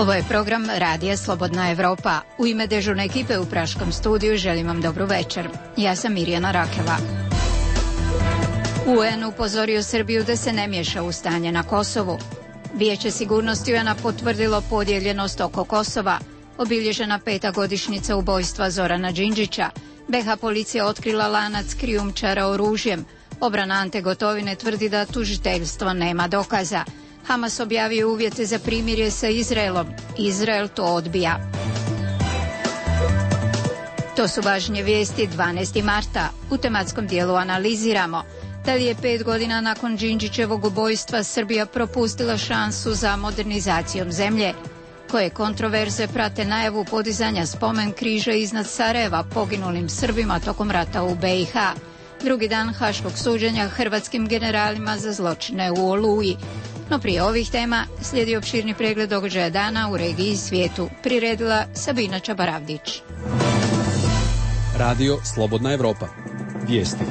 Ovo je program Radija Slobodna Evropa. U ime dežurne ekipe u Praškom studiju želim vam dobru večer. Ja sam Mirjana Rakela. UN upozorio Srbiju da se ne miješa u stanje na Kosovu. Vijeće sigurnosti UN-a potvrdilo podijeljenost oko Kosova. Obilježena 5. godišnjica ubojstva Zorana Đinđića. BiH policija otkrila lanac krijumčara oružjem. Obrana Ante Gotovine tvrdi da tužiteljstvo nema dokaza. Hamas objavio uvjete za primirje sa Izraelom. Izrael to odbija. To su važnije vijesti 12. marta. U tematskom dijelu analiziramo da li je 5 godina nakon Đinđićevog ubojstva Srbija propustila šansu za modernizacijom zemlje. Koje kontroverze prate najavu podizanja spomen križa iznad Sarajeva poginulim Srbima tokom rata u BiH. Drugi dan haškog suđenja hrvatskim generalima za zločine u Oluji. No prije ovih tema slijedi opširni pregled događaja dana u regiji i svijetu. Priredila Sabina Čabaravdić. Radio Slobodna Evropa. Vijesti.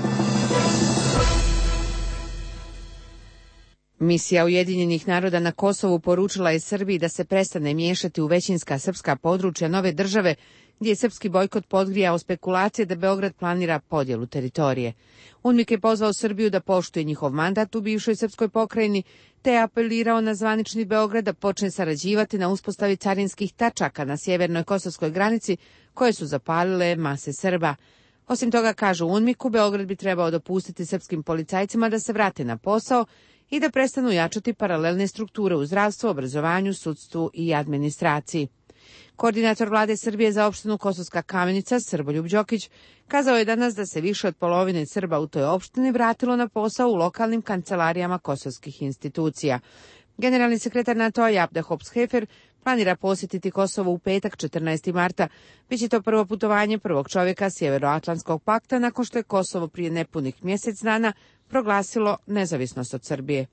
Misija Ujedinjenih naroda na Kosovu poručila je Srbiji da se prestane miješati u većinska srpska područja nove države, gdje je srpski bojkot podgrijao spekulacije da Beograd planira podjelu teritorije. UNMIK je pozvao Srbiju da poštuje njihov mandat u bivšoj srpskoj pokrajini, te je apelirao na zvanični Beograd da počne sarađivati na uspostavi carinskih tačaka na sjevernoj kosovskoj granici koje su zapalile mase Srba. Osim toga, kažu UNMIK-u, Beograd bi trebao dopustiti srpskim policajcima da se vrate na posao i da prestanu jačati paralelne strukture u zdravstvu, obrazovanju, sudstvu i administraciji. Koordinator vlade Srbije za opštinu Kosovska Kamenica, Srboljub Đokić, kazao je danas da se više od polovine Srba u toj opštini vratilo na posao u lokalnim kancelarijama kosovskih institucija. Generalni sekretar NATO-a Jabda Hops-Hefer planira posjetiti Kosovo u petak 14. marta. Biće to prvo putovanje prvog čovjeka Sjevernoatlantskog pakta nakon što je Kosovo prije nepunih mjesec dana proglasilo nezavisnost od Srbije.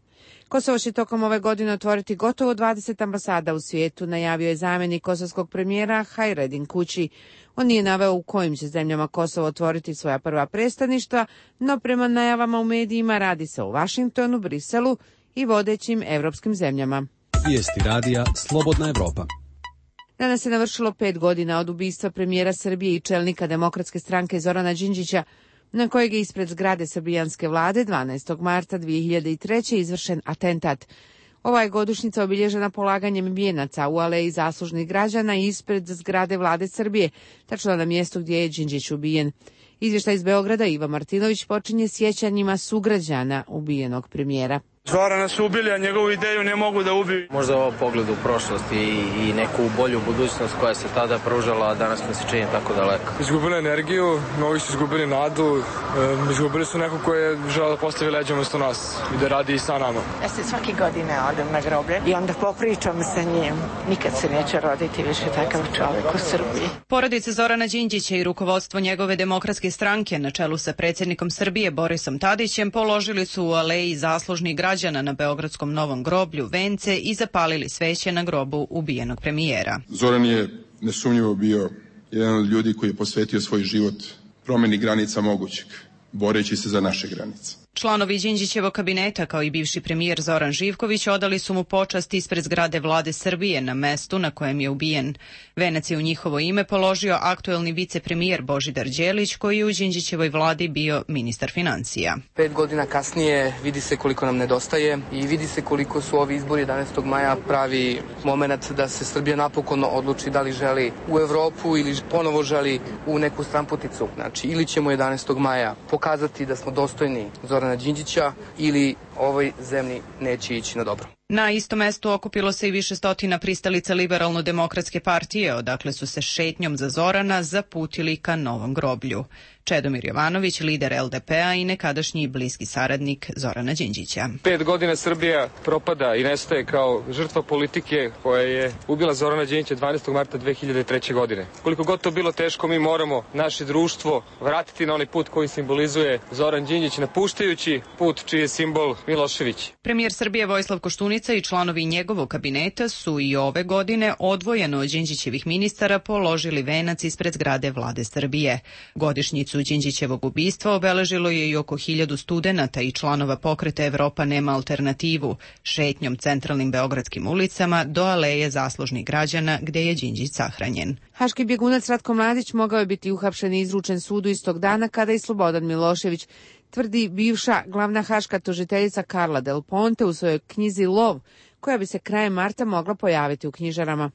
Kosovo će tokom ove godine otvoriti gotovo 20 ambasada u svijetu, najavio je zamjenik kosovskog premijera Hajredin Kući. On nije naveo u kojim će zemljama Kosovo otvoriti svoja prva predstavništva, no prema najavama u medijima radi se o Vašingtonu, Briselu i vodećim evropskim zemljama. Vijesti radija Slobodna Evropa. Danas se navršilo 5 godina od ubistva premijera Srbije i čelnika Demokratske stranke Zorana Đinđića, na kojeg je ispred zgrade srbijanske vlade 12. marta 2003. izvršen atentat. Ova je godišnjica obilježena polaganjem vijenaca u aleji zaslužnih građana ispred zgrade vlade Srbije, tačno na mjestu gdje je Đinđić ubijen. Izvještaj iz Beograda Iva Martinović počinje sjećanjima sugrađana ubijenog premijera. Zorana su ubili, a njegovu ideju ne mogu da ubiju. Možda ovo pogled u prošlost i neku bolju budućnost koja se tada pružala, a danas mi se čini tako daleko. Izgubili energiju, mnogi su izgubili nadu, izgubili su neko ko je želeo da postavi leđa umesto nas i da radi i sa nama. Ja se svake godine odem na groblje i onda popričam sa njim. Nikad se neće roditi više takav čovjek u Srbiji. Porodica Zorana Đinđića i rukovodstvo njegove Demokratske stranke na čelu sa predsjednikom Srbije Borisom Tadićem položili su u aleji zaslužnih građana na beogradskom Novom groblju vence i zapalili sveće na grobu ubijenog premijera. Zoran je nesumnjivo bio jedan od ljudi koji je posvetio svoj život promjeni granica mogućeg, boreći se za naše granice. Članovi Đinđićevog kabineta, kao i bivši premijer Zoran Živković, odali su mu počast ispred zgrade vlade Srbije na mestu na kojem je ubijen. Venac je u njihovo ime položio aktuelni vicepremijer Božidar Đelić, koji je u Đinđićevoj vladi bio ministar financija. 5 godina kasnije vidi se koliko nam nedostaje i vidi se koliko su ovi izbori 11. maja pravi moment da se Srbija napokon odluči da li želi u Evropu ili ponovo želi u neku stranputicu. Znači, ili ćemo 11. maja pokazati da smo dostojni Zorana Đinđića ili ovoj zemlji neće ići na dobro. Na istom mestu okupilo se i više stotina pristalica Liberalno-demokratske partije, odakle su se šetnjom za Zorana zaputili ka Novom groblju. Čedomir Jovanović, lider LDP-a i nekadašnji bliski saradnik Zorana Đinđića. 5 godina Srbija propada i nestaje kao žrtva politike koja je ubila Zorana Đinđića 12. marta 2003. godine. Koliko god to bilo teško, mi moramo naše društvo vratiti na onaj put koji simbolizuje Zoran Đinđić, napuštajući put čiji je simbol Milošević. Premijer Srbije Vojislav Koštunica Koštunica i članovi njegovog kabineta su i ove godine odvojeno od Đinđićevih ministara položili venac ispred zgrade vlade Srbije. Godišnjicu Đinđićevog ubistva obeležilo je i oko 1000 studenata i članova pokreta Evropa nema alternativu, šetnjom centralnim beogradskim ulicama do aleje zaslužnih građana gde je Đinđić sahranjen. Haški bjegunac Ratko Mladić mogao je biti uhapšen i izručen sudu istog dana kada i Slobodan Milošević, tvrdi bivša glavna haška tužiteljica Carla Del Ponte u svojoj knjizi Lov, koja bi se krajem marta mogla pojaviti u knjižarama.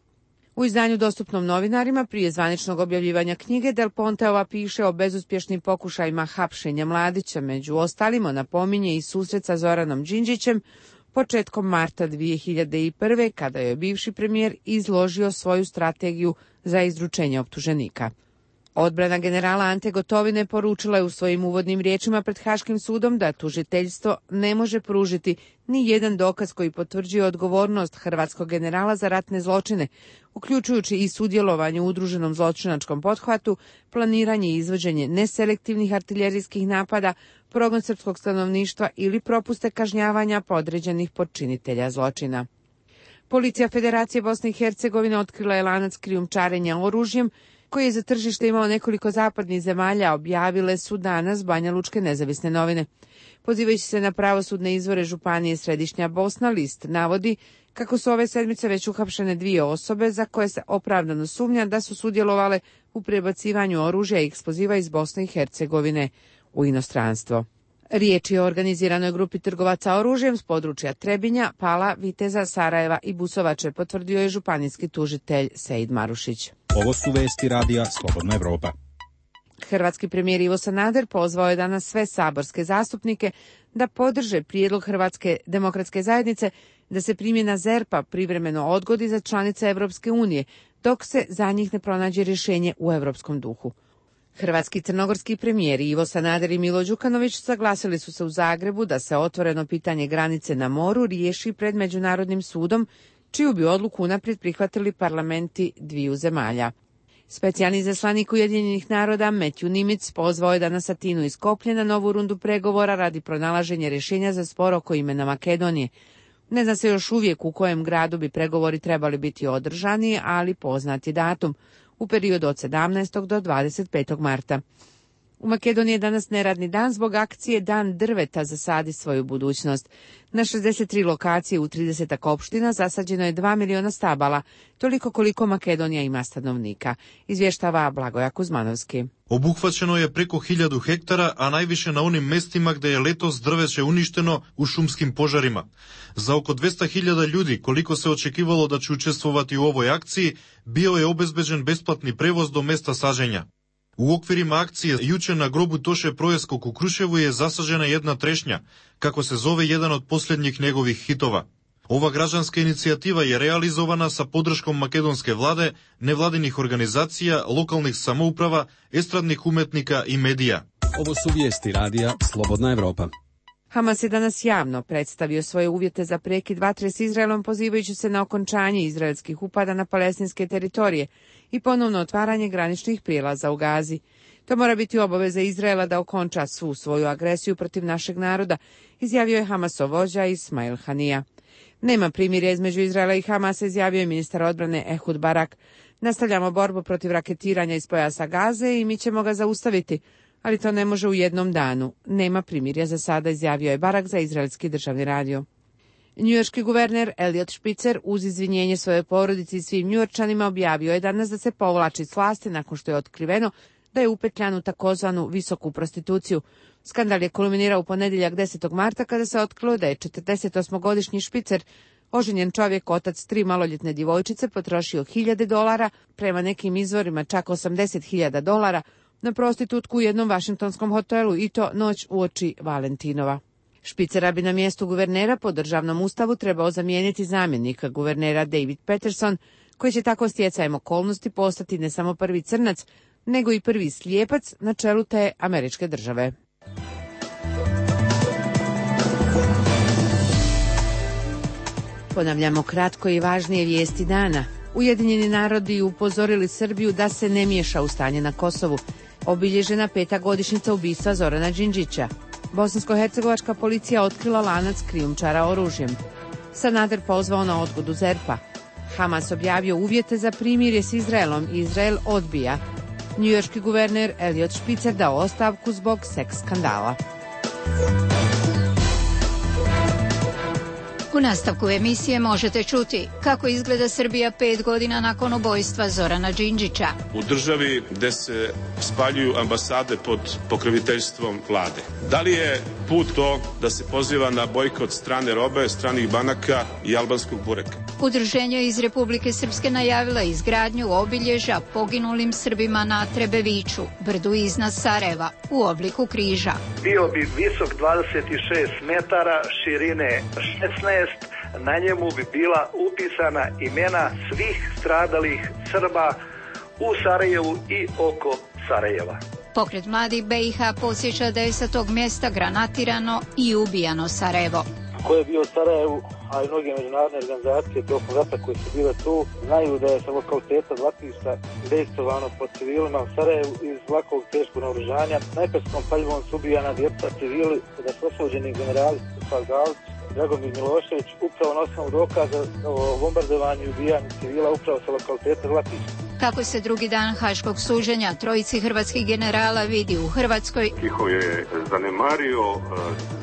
U izdanju dostupnom novinarima prije zvaničnog objavljivanja knjige Del Ponteova piše o bezuspješnim pokušajima hapšenja Mladića, među ostalima napominje i susret sa Zoranom Đinđićem početkom marta 2001. kada je bivši premijer izložio svoju strategiju za izručenje optuženika. Odbrana generala Ante Gotovine poručila je u svojim uvodnim riječima pred Haškim sudom da tužiteljstvo ne može pružiti ni jedan dokaz koji potvrđuje odgovornost hrvatskog generala za ratne zločine, uključujući i sudjelovanje u udruženom zločinačkom pothvatu, planiranje i izvođenje neselektivnih artiljerijskih napada, progon srpskog stanovništva ili propuste kažnjavanja podređenih počinitelja zločina. Policija Federacije Bosne i Hercegovine otkrila je lanac krijumčarenja oružjem koji je za tržište imao nekoliko zapadnih zemalja, objavile su danas Banjalučke nezavisne novine. Pozivajući se na pravosudne izvore Županije Središnja Bosna, list navodi kako su ove sedmice već uhapšene 2 osobe za koje se opravdano sumnja da su sudjelovale u prebacivanju oružja i eksploziva iz Bosne i Hercegovine u inostranstvo. Riječ je o organiziranoj grupi trgovaca oružjem s područja Trebinja, Pala, Viteza, Sarajeva i Busovače, potvrdio je županijski tužitelj Sejid Marušić. Ovo su vesti radija Slobodna Evropa. Hrvatski premijer Ivo Sanader pozvao je danas sve saborske zastupnike da podrže prijedlog Hrvatske demokratske zajednice da se primjena ZERP-a privremeno odgodi za članice Evropske unije, dok se za njih ne pronađe rješenje u europskom duhu. Hrvatski i crnogorski premijeri Ivo Sanader i Milo Đukanović saglasili su se u Zagrebu da se otvoreno pitanje granice na moru riješi pred Međunarodnim sudom, čiju bi odluku unaprijed prihvatili parlamenti dviju zemalja. Specijalni izaslanik Ujedinjenih naroda Matthew Nimitz pozvao je danas Atinu iz Skoplja na novu rundu pregovora radi pronalaženja rješenja za spor oko imena Makedonije. Ne zna se još uvijek u kojem gradu bi pregovori trebali biti održani, ali poznat je datum, u periodu od 17. do 25. marta. U Makedoniji je danas neradni dan zbog akcije Dan drveta zasadi svoju budućnost. Na 63 lokacije u 30 opština zasađeno je 2 miliona stabala, toliko koliko Makedonija ima stanovnika, izvještava Blagoja Kuzmanovski. Obuhvaćeno je preko 1000 hektara, a najviše na onim mestima gde je letos drveće uništeno u šumskim požarima. Za oko 200.000 ljudi, koliko se očekivalo da će učestvovati u ovoj akciji, bio je obezbeđen besplatni prevoz do mesta sađenja. U okvirima akcije juče na grobu Toše Projeskog u Kruševu je zasađena jedna trešnja, kako se zove jedan od posljednjih njegovih hitova. Ova građanska inicijativa je realizovana sa podrškom makedonske vlade, nevladinih organizacija, lokalnih samouprava, estradnih umetnika i medija. Ovo su vijesti radija Slobodna Evropa. Hamas je danas javno predstavio svoje uvjete za prekid vatre s Izraelom, pozivajući se na okončanje izraelskih upada na palestinske teritorije i ponovno otvaranje graničnih prijelaza u Gazi. To mora biti obaveza Izraela da okonča svu svoju agresiju protiv našeg naroda, izjavio je Hamasov vođa Ismail Hanija. Nema primirja između Izraela i Hamasa, izjavio je ministar odbrane Ehud Barak. Nastavljamo borbu protiv raketiranja iz pojasa Gaze i mi ćemo ga zaustaviti, ali to ne može u jednom danu. Nema primirja za sada, izjavio je Barak za izraelski državni radio. Njujorški guverner Eliot Spitzer uz izvinjenje svoje porodici i svim Njujorčanima objavio je danas da se povlači s vlasti nakon što je otkriveno da je upetljan u takozvanu visoku prostituciju. Skandal je kulminirao u ponedjeljak 10. marta kada se otkrilo da je 48-godišnji Spitzer, oženjen čovjek, otac 3 maloljetne djevojčice, potrošio $1.000, prema nekim izvorima čak $80.000, na prostitutku u jednom vašingtonskom hotelu i to noć uoči Valentinova. Špicera bi na mjestu guvernera po državnom ustavu trebao zamijeniti zamjenika guvernera David Peterson, koji će tako stjecajem okolnosti postati ne samo prvi crnac, nego i prvi slijepac na čelu te američke države. Ponavljamo kratko i važnije vijesti dana. Ujedinjeni narodi upozorili Srbiju da se ne miješa u stanje na Kosovu. Obilježena 5. godišnjica ubistva Zorana Đinđića. Bosansko-hercegovačka policija otkrila lanac krijumčara oružjem. Sanader pozvao na odgodu ZERP-a. Hamas objavio uvjete za primirje s Izraelom i Izrael odbija. Njujorški guverner Eliot Spitzer dao ostavku zbog seks skandala. U nastavku emisije možete čuti kako izgleda Srbija 5 godina nakon ubojstva Zorana Đinđića. U državi gde se spaljuju ambasade pod pokroviteljstvom vlade. Da li je put to da se poziva na bojkot strane robe, stranih banaka i albanskog bureka? Udruženje iz Republike Srpske najavila izgradnju obilježja poginulim Srbima na Trebeviću, brdu iznad Sarajeva, u obliku križa. Bio bi visok 26 metara, širine 16, na njemu bi bila upisana imena svih stradalih Srba u Sarajevu i oko Sarajeva. Pokret mladih BiH podsjeća da je sa tog mjesta granatirano i ubijano Sarajevo. Ko je bio u Sarajevu, a i mnoge međunarodne organizacije tokom rata koji su bile tu, znaju da je sa lokaliteta Zlatišta dejstvovano pod civilima u Sarajevu iz lakog teškog naoružanja. Najperskom paljvom su ubijana djeca civili, da su osuđeni generali Stefan Galić, Dragomir Milošević, upravo na osnovu dokaza o bombardovanju i ubijanju civila upravo sa lokaliteta Zlatišta. Kako se drugi dan haškog suđenja trojici hrvatskih generala vidi u Hrvatskoj? Tiho je zanemario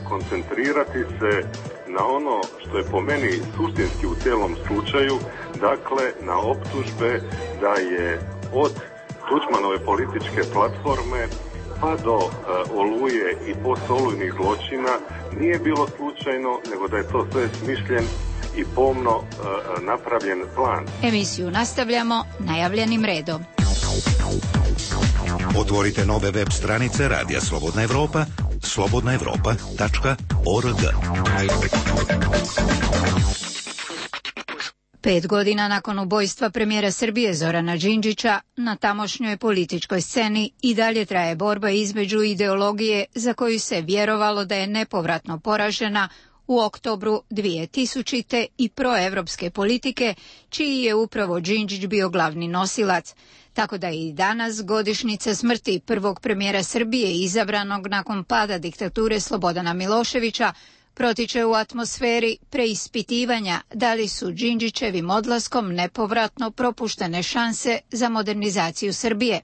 koncentrirati se na ono što je po meni suštinski u cijelom slučaju, dakle na optužbe da je od Tuđmanove političke platforme pa do Oluje i postolujnih zločina nije bilo slučajno, nego da je to sve smišljen i pomno napravljen plan. Emisiju nastavljamo najavljenim redom. Otvorite nove web stranice Radija Slobodna Evropa, slobodnaevropa.org. 5 godina nakon ubojstva premijera Srbije Zorana Đinđića, na tamošnjoj političkoj sceni i dalje traje borba između ideologije za koju se vjerovalo da je nepovratno poražena u oktobru 2000. i proevropske politike, čiji je upravo Đinđić bio glavni nosilac. Tako da je i danas godišnjica smrti prvog premijera Srbije izabranog nakon pada diktature Slobodana Miloševića protiče u atmosferi preispitivanja da li su Đinđićevim odlaskom nepovratno propuštene šanse za modernizaciju Srbije.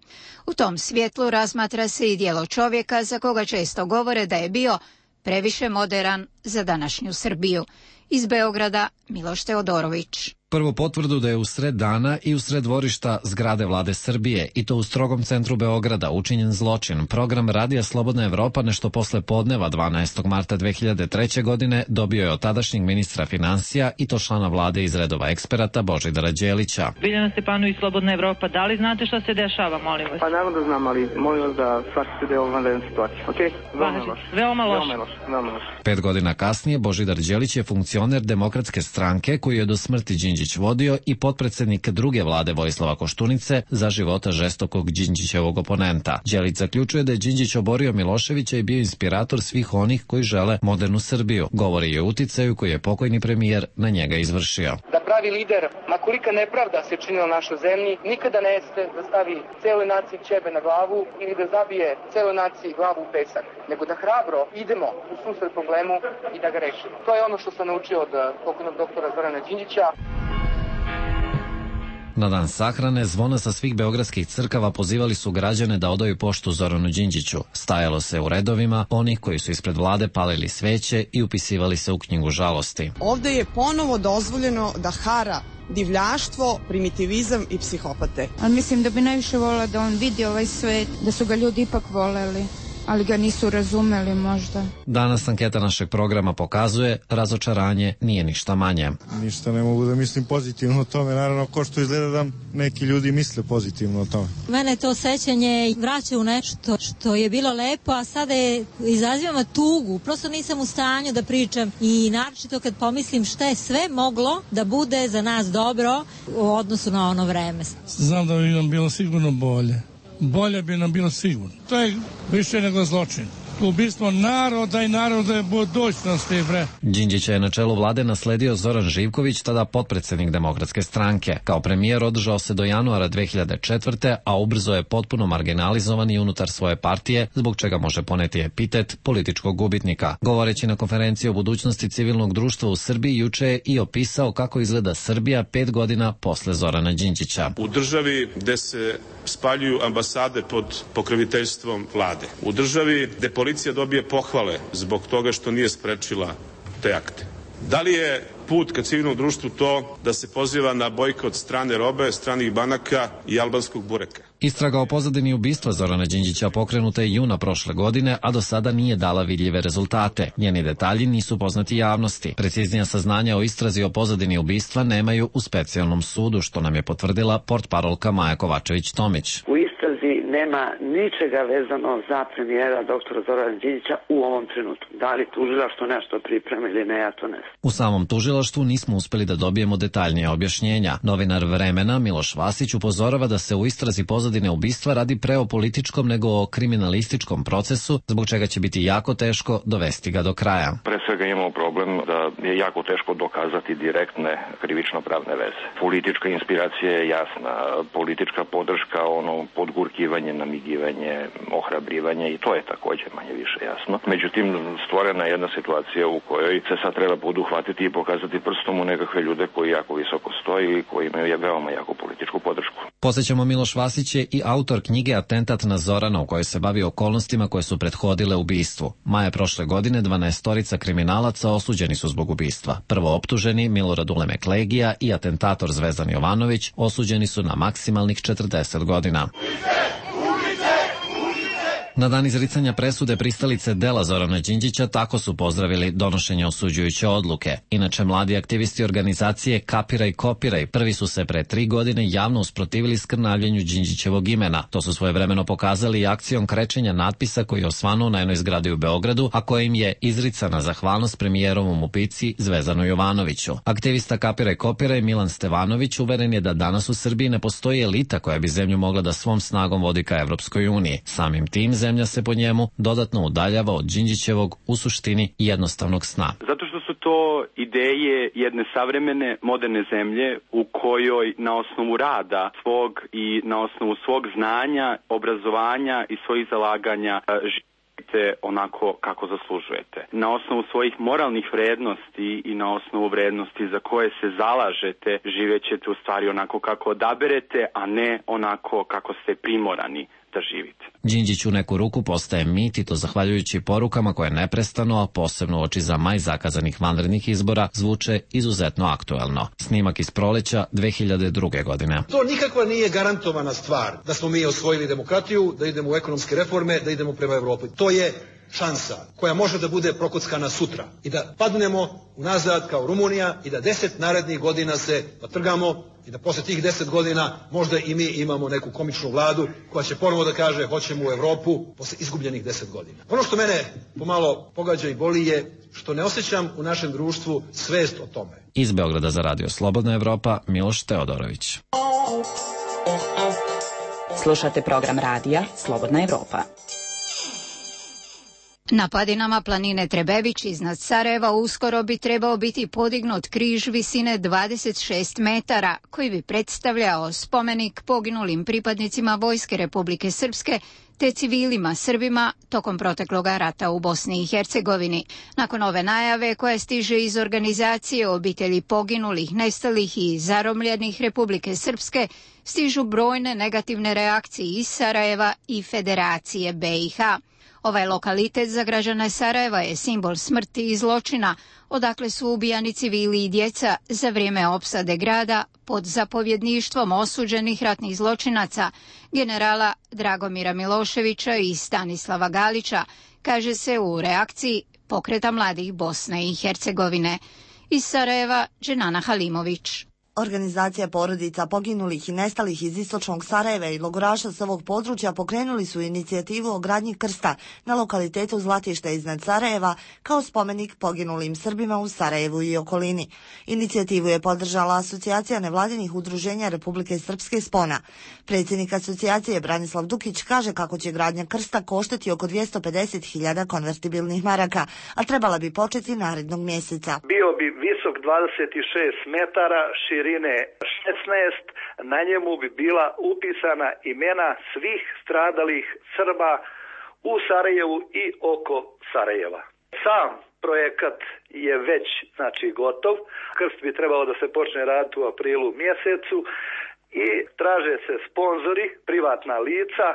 U tom svjetlu razmatra se i djelo čovjeka za koga često govore da je bio previše moderan za današnju Srbiju. Iz Beograda Miloš Teodorović. Prvu potvrdu da je usred dana i usred dvorišta zgrade vlade Srbije, i to u strogom centru Beograda, učinjen zločin. Program Radija Slobodna Evropa nešto posle podneva 12. marta 2003. godine dobio je od tadašnjeg ministra finansija i to člana vlade iz redova eksperata Božidara Đelića. Biljana Stepanović, Slobodna Evropa, da li znate šta se dešava, molim vas? Pa naravno da znam, ali molim vas da shvatite da je ovo vanredna situacija, okej? Veoma loš. 5 godina kasnije Božidar Đelić je funkcioner Demokratske stranke koju je do smrti Đinđić vodio i potpredsednik druge vlade Vojislava Koštunice za života žestokog Đinđićevog oponenta. Đelić zaključuje da je Đinđić oborio Miloševića i bio inspirator svih onih koji žele modernu Srbiju. Govori i o uticaju koji je pokojni premijer na njega izvršio. Da pravi lider, ma kolika nepravda se činila našoj zemlji, nikada ne jeste da stavi celoj naciji ćebe na glavu ili da zabije celoj naciji glavu u pesak, nego da hrabro idemo u susret problemu i da ga rešimo. To je ono što sam naučio od pokojnog doktora Zorana Đinđića. Na dan sahrane zvona sa svih beogradskih crkava pozivali su građane da odaju poštu Zoranu Đinđiću. Stajalo se u redovima onih koji su ispred vlade palili sveće i upisivali se u knjigu žalosti. Ovde je ponovo dozvoljeno da hara divljaštvo, primitivizam i psihopate. Ali mislim da bi najviše volila da on vidi ovaj svet, da su ga ljudi ipak voleli, ali ga nisu razumeli možda. Danas anketa našeg programa pokazuje razočaranje nije ništa manje. Ništa ne mogu da mislim pozitivno o tome, naravno ko što izgleda da neki ljudi misle pozitivno o tome. Mene to sećanje vraća u nešto što je bilo lepo, a sada je izazivamo tugu. Prosto nisam u stanju da pričam i naročito kad pomislim šta je sve moglo da bude za nas dobro u odnosu na ono vreme. Znam da bi nam bilo sigurno bolje. Bolje bi nam bilo sigurno. To je više nego zločin. ubistvo naroda i narodne budućnosti, bre. Đinđića je na čelu vlade nasledio Zoran Živković, tada potpredsednik Demokratske stranke. Kao premijer održao se do januara 2004. a ubrzo je potpuno marginalizovan i unutar svoje partije, zbog čega može poneti epitet političkog gubitnika. Govoreći na konferenciji o budućnosti civilnog društva u Srbiji, juče je i opisao kako izgleda Srbija 5 godina posle Zorana Đinđića. U državi gde se spaljuju ambasade pod pokroviteljstvom vlade. U državi gde policija dobije pohvale zbog toga što nije sprečila te akte. Da li je put ka civilnom društvu to da se poziva na bojkot strane robe, stranih banaka i albanskog bureka? Istraga o pozadini ubistva Zorana Đinđića pokrenuta je juna prošle godine, a do sada nije dala vidljive rezultate. Njeni detalji nisu poznati javnosti. Preciznija saznanja o istrazi o pozadini ubistva nemaju u specijalnom sudu, što nam je potvrdila portparolka Maja Kovačević-Tomić. U istrazi nema ničega vezano za premijera doktora Zorana Đinđića u ovom trenutku. Da li tužilaštvo nešto priprema ili ne, ja to ne znam. U samom tužilaštvu nismo uspeli da dobijemo detaljnije objašnjenja. Novinar Vremena Miloš Vasić upozorava da se u istrazi pozadine ubistva radi pre o političkom nego o kriminalističkom procesu, zbog čega će biti jako teško dovesti ga do kraja. Pre svega imamo problem da je jako teško dokazati direktne krivično-pravne veze. Politička inspiracija je jasna, politička podrška, podgurkivanje, namigivanje, ohrabrivanje, i to je takođe manje više jasno. Međutim, stvorena je jedna situacija u kojoj se sad treba poduhvatiti i pokazati prstom u nekakve ljude koji jako visoko stoji i koji imaju veoma jaku političku podršku. Podsećamo, Miloš Vasić je i autor knjige Atentat na Zorana, u kojoj se bavi okolnostima koje su prethodile ubistvu. Maja prošle godine 12 kriminalaca osuđeni su zbog ubistva. Prvo optuženi Milorad Ulemek Legija i atentator Zvezdan Jovanović osuđeni su na maksimalnih 40 godina. Na dan izricanja presude pristalice dela Zorana Đinđića tako su pozdravili donošenje osuđujuće odluke. Inače, mladi aktivisti organizacije Kapiraj Kopiraj prvi su se pre 3 godine javno usprotivili skrnavljenju Đinđićevog imena. To su svojevremeno pokazali i akcijom krečenja natpisa koji je osvanuo na jednoj zgradi u Beogradu, a kojim je izricana zahvalnost premijerovom ubici Zvezdanu Jovanoviću. Aktivista Kapiraj Kopiraj Milan Stevanović uveren je da danas u Srbiji ne postoji elita koja bi zemlju mogla da svom snagom vodi ka Evropskoj uniji. Samim tim zemlja se po njemu dodatno udaljava od Đinđićevog u suštini jednostavnog sna. Zato što su to ideje jedne savremene, moderne zemlje u kojoj na osnovu rada svog i na osnovu svog znanja, obrazovanja i svojih zalaganja živite onako kako zaslužujete. Na osnovu svojih moralnih vrednosti i na osnovu vrednosti za koje se zalažete živećete u stvari onako kako odaberete, a ne onako kako ste primorani da živite. Đinđić u neku ruku postaje mit, i to zahvaljujući porukama koje neprestano, a posebno uoči za maj zakazanih vanrednih izbora, zvuče izuzetno aktuelno. Snimak iz proleća 2002. godine. To nikakva nije garantovana stvar da smo mi osvojili demokratiju, da idemo u ekonomske reforme, da idemo prema Evropi. To je šansa koja može da bude prokockana sutra i da padnemo unazad kao Rumunija i da 10 narednih godina se potrgamo i da posle tih 10 godina možda i mi imamo neku komičnu vladu koja će ponovo da kaže hoćemo u Evropu posle izgubljenih 10 godina. Ono što mene pomalo pogađa i boli je što ne osjećam u našem društvu svest o tome. Iz Beograda za Radio Slobodna Evropa, Miloš Teodorović. Slušate program radija Slobodna Evropa. Na padinama planine Trebević iznad Sarajeva uskoro bi trebao biti podignut križ visine 26 metara, koji bi predstavljao spomenik poginulim pripadnicima Vojske Republike Srpske te civilima Srbima tokom protekloga rata u Bosni i Hercegovini. Nakon ove najave koja stiže iz organizacije obitelji poginulih, nestalih i zaromljenih Republike Srpske, stižu brojne negativne reakcije iz Sarajeva i Federacije BiH. Ovaj lokalitet za građane Sarajeva je simbol smrti i zločina, odakle su ubijani civili i djeca za vrijeme opsade grada pod zapovjedništvom osuđenih ratnih zločinaca, generala Dragomira Miloševića i Stanislava Galića, kaže se u reakciji Pokreta mladih Bosne i Hercegovine. Iz Sarajeva, Dženana Halimović. Organizacija porodica poginulih i nestalih iz istočnog Sarajeva i logoraša s ovog područja pokrenuli su inicijativu o gradnji krsta na lokalitetu Zlatište iznad Sarajeva kao spomenik poginulim Srbima u Sarajevu i okolini. Inicijativu je podržala Asocijacija nevladinih udruženja Republike Srpske Spona. Predsjednik asocijacije Branislav Dukić kaže kako će gradnja krsta koštati oko 250.000 konvertibilnih maraka, a trebala bi početi narednog mjeseca. Bio bi visok 26 metara, širine 16, na njemu bi bila upisana imena svih stradalih Srba u Sarajevu i oko Sarajeva. Sam projekat je već gotov. Krst bi trebao da se počne raditi u aprilu mjesecu i traže se sponzori, privatna lica,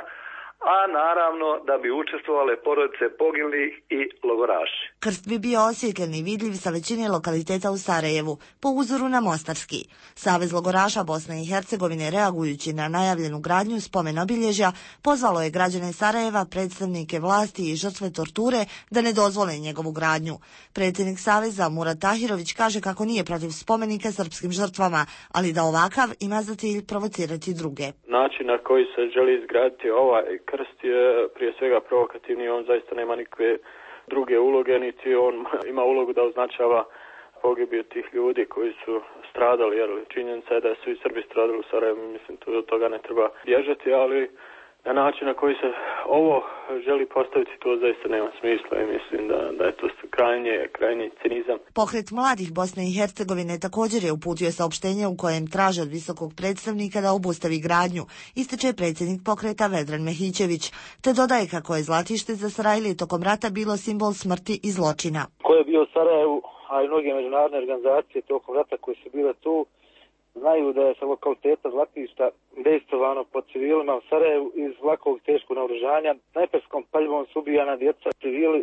a naravno da bi učestvovale porodice poginulih i logoraši. Krst bi bio osvjetljen i vidljiv sa većine lokaliteta u Sarajevu, po uzoru na Mostarski. Savez logoraša Bosne i Hercegovine, reagujući na najavljenu gradnju spomen obilježja, pozvalo je građane Sarajeva, predstavnike vlasti i žrtve torture da ne dozvole njegovu gradnju. Predsjednik Saveza Murat Tahirović kaže kako nije protiv spomenika srpskim žrtvama, ali da ovakav ima za cilj provocirati druge. Način na koji se želi izgraditi ovaj krst je prije svega provokativni, on zaista nema nikakve druge uloge, niti on ima ulogu da označava pogibiju tih ljudi koji su stradali, jer činjenica je da su i Srbi stradali u Sarajevu, mislim do toga ne treba bježati, ali na način na koji se ovo želi postaviti, to zaista nema smisla i mislim da je to krajnji cinizam. Pokret mladih Bosne i Hercegovine također je uputio saopštenje u kojem traže od visokog predstavnika da obustavi gradnju, ističe predsjednik pokreta Vedran Mehićević, te dodaje kako je Zlatište za Sarajlije tokom rata bilo simbol smrti i zločina. Ko je bio u Sarajevu, a i mnoge međunarodne organizacije tokom rata koje su bile tu, znaju da je sa lokaliteta Zlatišta dejstvovano pod civilima u Sarajevu iz lakog teškog naoružanja. Snajperskom paljbom su ubijana djeca, civili.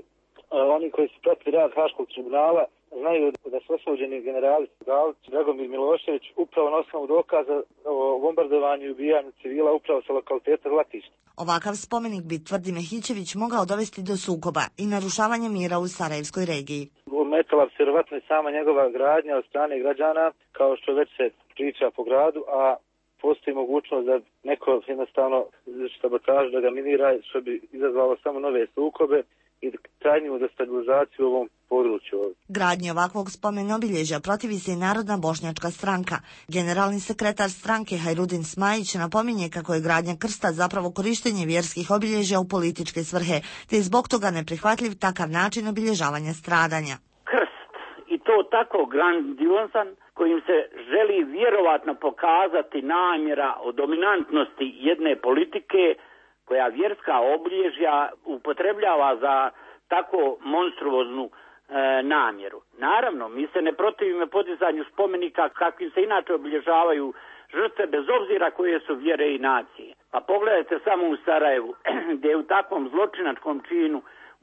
Oni koji su pratili rad Haškog tribunala znaju da su osuđeni generali Galić, Dragomir Milošević upravo na osnovu dokaza o bombardovanju i ubijanju civila upravo sa lokaliteta Zlatišta. Ovakav spomenik bi, tvrdi Mehićević, mogao dovesti do sukoba i narušavanja mira u Sarajevskoj regiji. Ometala bi se vjerovatno i sama njegova gradnja od strane građana, kao što već se priča po gradu, a postoji mogućnost da neko jednostavno sabotaž da ga minira, što bi izazvalo samo nove sukobe i krajnju destabilizaciju u ovom području. Gradnji ovakvog spomen obilježja protivi se i Narodna bošnjačka stranka. Generalni sekretar stranke Hajrudin Smajić napominje kako je gradnja krsta zapravo korištenje vjerskih obilježja u političke svrhe, te je zbog toga neprihvatljiv takav način obilježavanja stradanja. Krst, i to tako grandiozan, kojim se želi vjerovatno pokazati namjera o dominantnosti jedne politike koja vjerska obilježja upotrebljava za tako monstruoznu namjeru. Naravno, mi se ne protivimo podizanju spomenika kakvim se inače obilježavaju žrtve bez obzira koje su vjere i nacije. Pa pogledajte samo u Sarajevu gdje je u takvom zločinačkom činu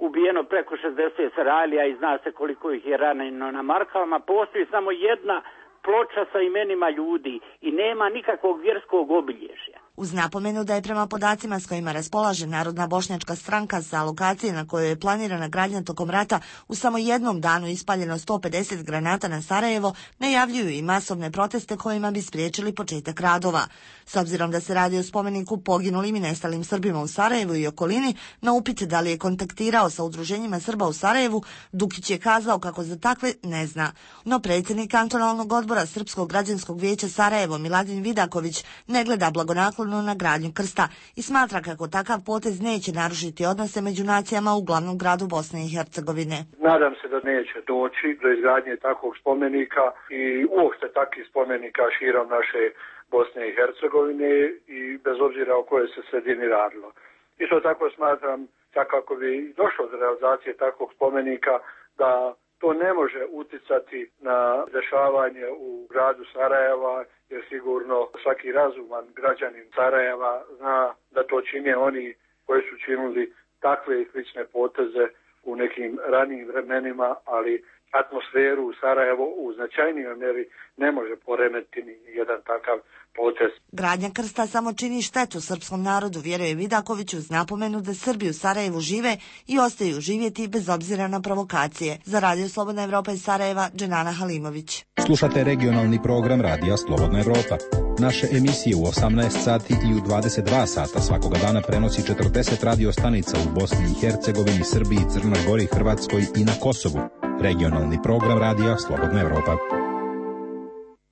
ubijeno preko 60 Sarajlija i zna se koliko ih je ranjeno na Markavama. Postoji samo jedna ploča sa imenima ljudi i nema nikakvog vjerskog obilježja. Uz napomenu da je prema podacima s kojima raspolaže Narodna bošnjačka stranka sa lokacije na kojoj je planirana gradnja tokom rata u samo jednom danu ispaljeno 150 granata na Sarajevo, najavljuju i masovne proteste kojima bi spriječili početak radova. S obzirom da se radi o spomeniku poginulim i nestalim Srbima u Sarajevu i okolini, na upit da li je kontaktirao sa udruženjima Srba u Sarajevu, Dukić je kazao kako za takve ne zna. No predsjednik kantonalnog odbora Srpskog građanskog vijeća Sarajevo Miladin Vidaković ne gleda blagonaklono na gradnju krsta i smatra kako takav potez neće narušiti odnose među nacijama u glavnom gradu Bosne i Hercegovine. Nadam se da neće doći do izgradnje takvog spomenika i uopšte takvih spomenika širom naše Bosne i Hercegovine i bez obzira o kojoj se sredini radilo. Isto tako smatram da kako bi došlo do realizacije takvog spomenika da to ne može uticati na dešavanje u gradu Sarajeva, jer sigurno svaki razuman građanin Sarajeva zna da to čine oni koji su činili takve i slične poteze u nekim ranijim vremenima, ali atmosferu u Sarajevu u značajnijoj mjeri ne može poremetiti ni jedan takav potez. Gradnja krsta samo čini štetu srpskom narodu, vjeruje Vidaković, uz napomenu da Srbi u Sarajevu žive i ostaju živjeti bez obzira na provokacije. Za Radio Slobodna Evropa iz Sarajeva, Dženana Halimović. Slušate regionalni program Radija Slobodna Evropa. Naše emisije u 18 sati i u 22 sata svakoga dana prenosi 40 radio stanica u Bosni i Hercegovini, Srbiji, Crnoj Gori, Hrvatskoj i na Kosovu. Regionalni program Radija Slobodna Evropa.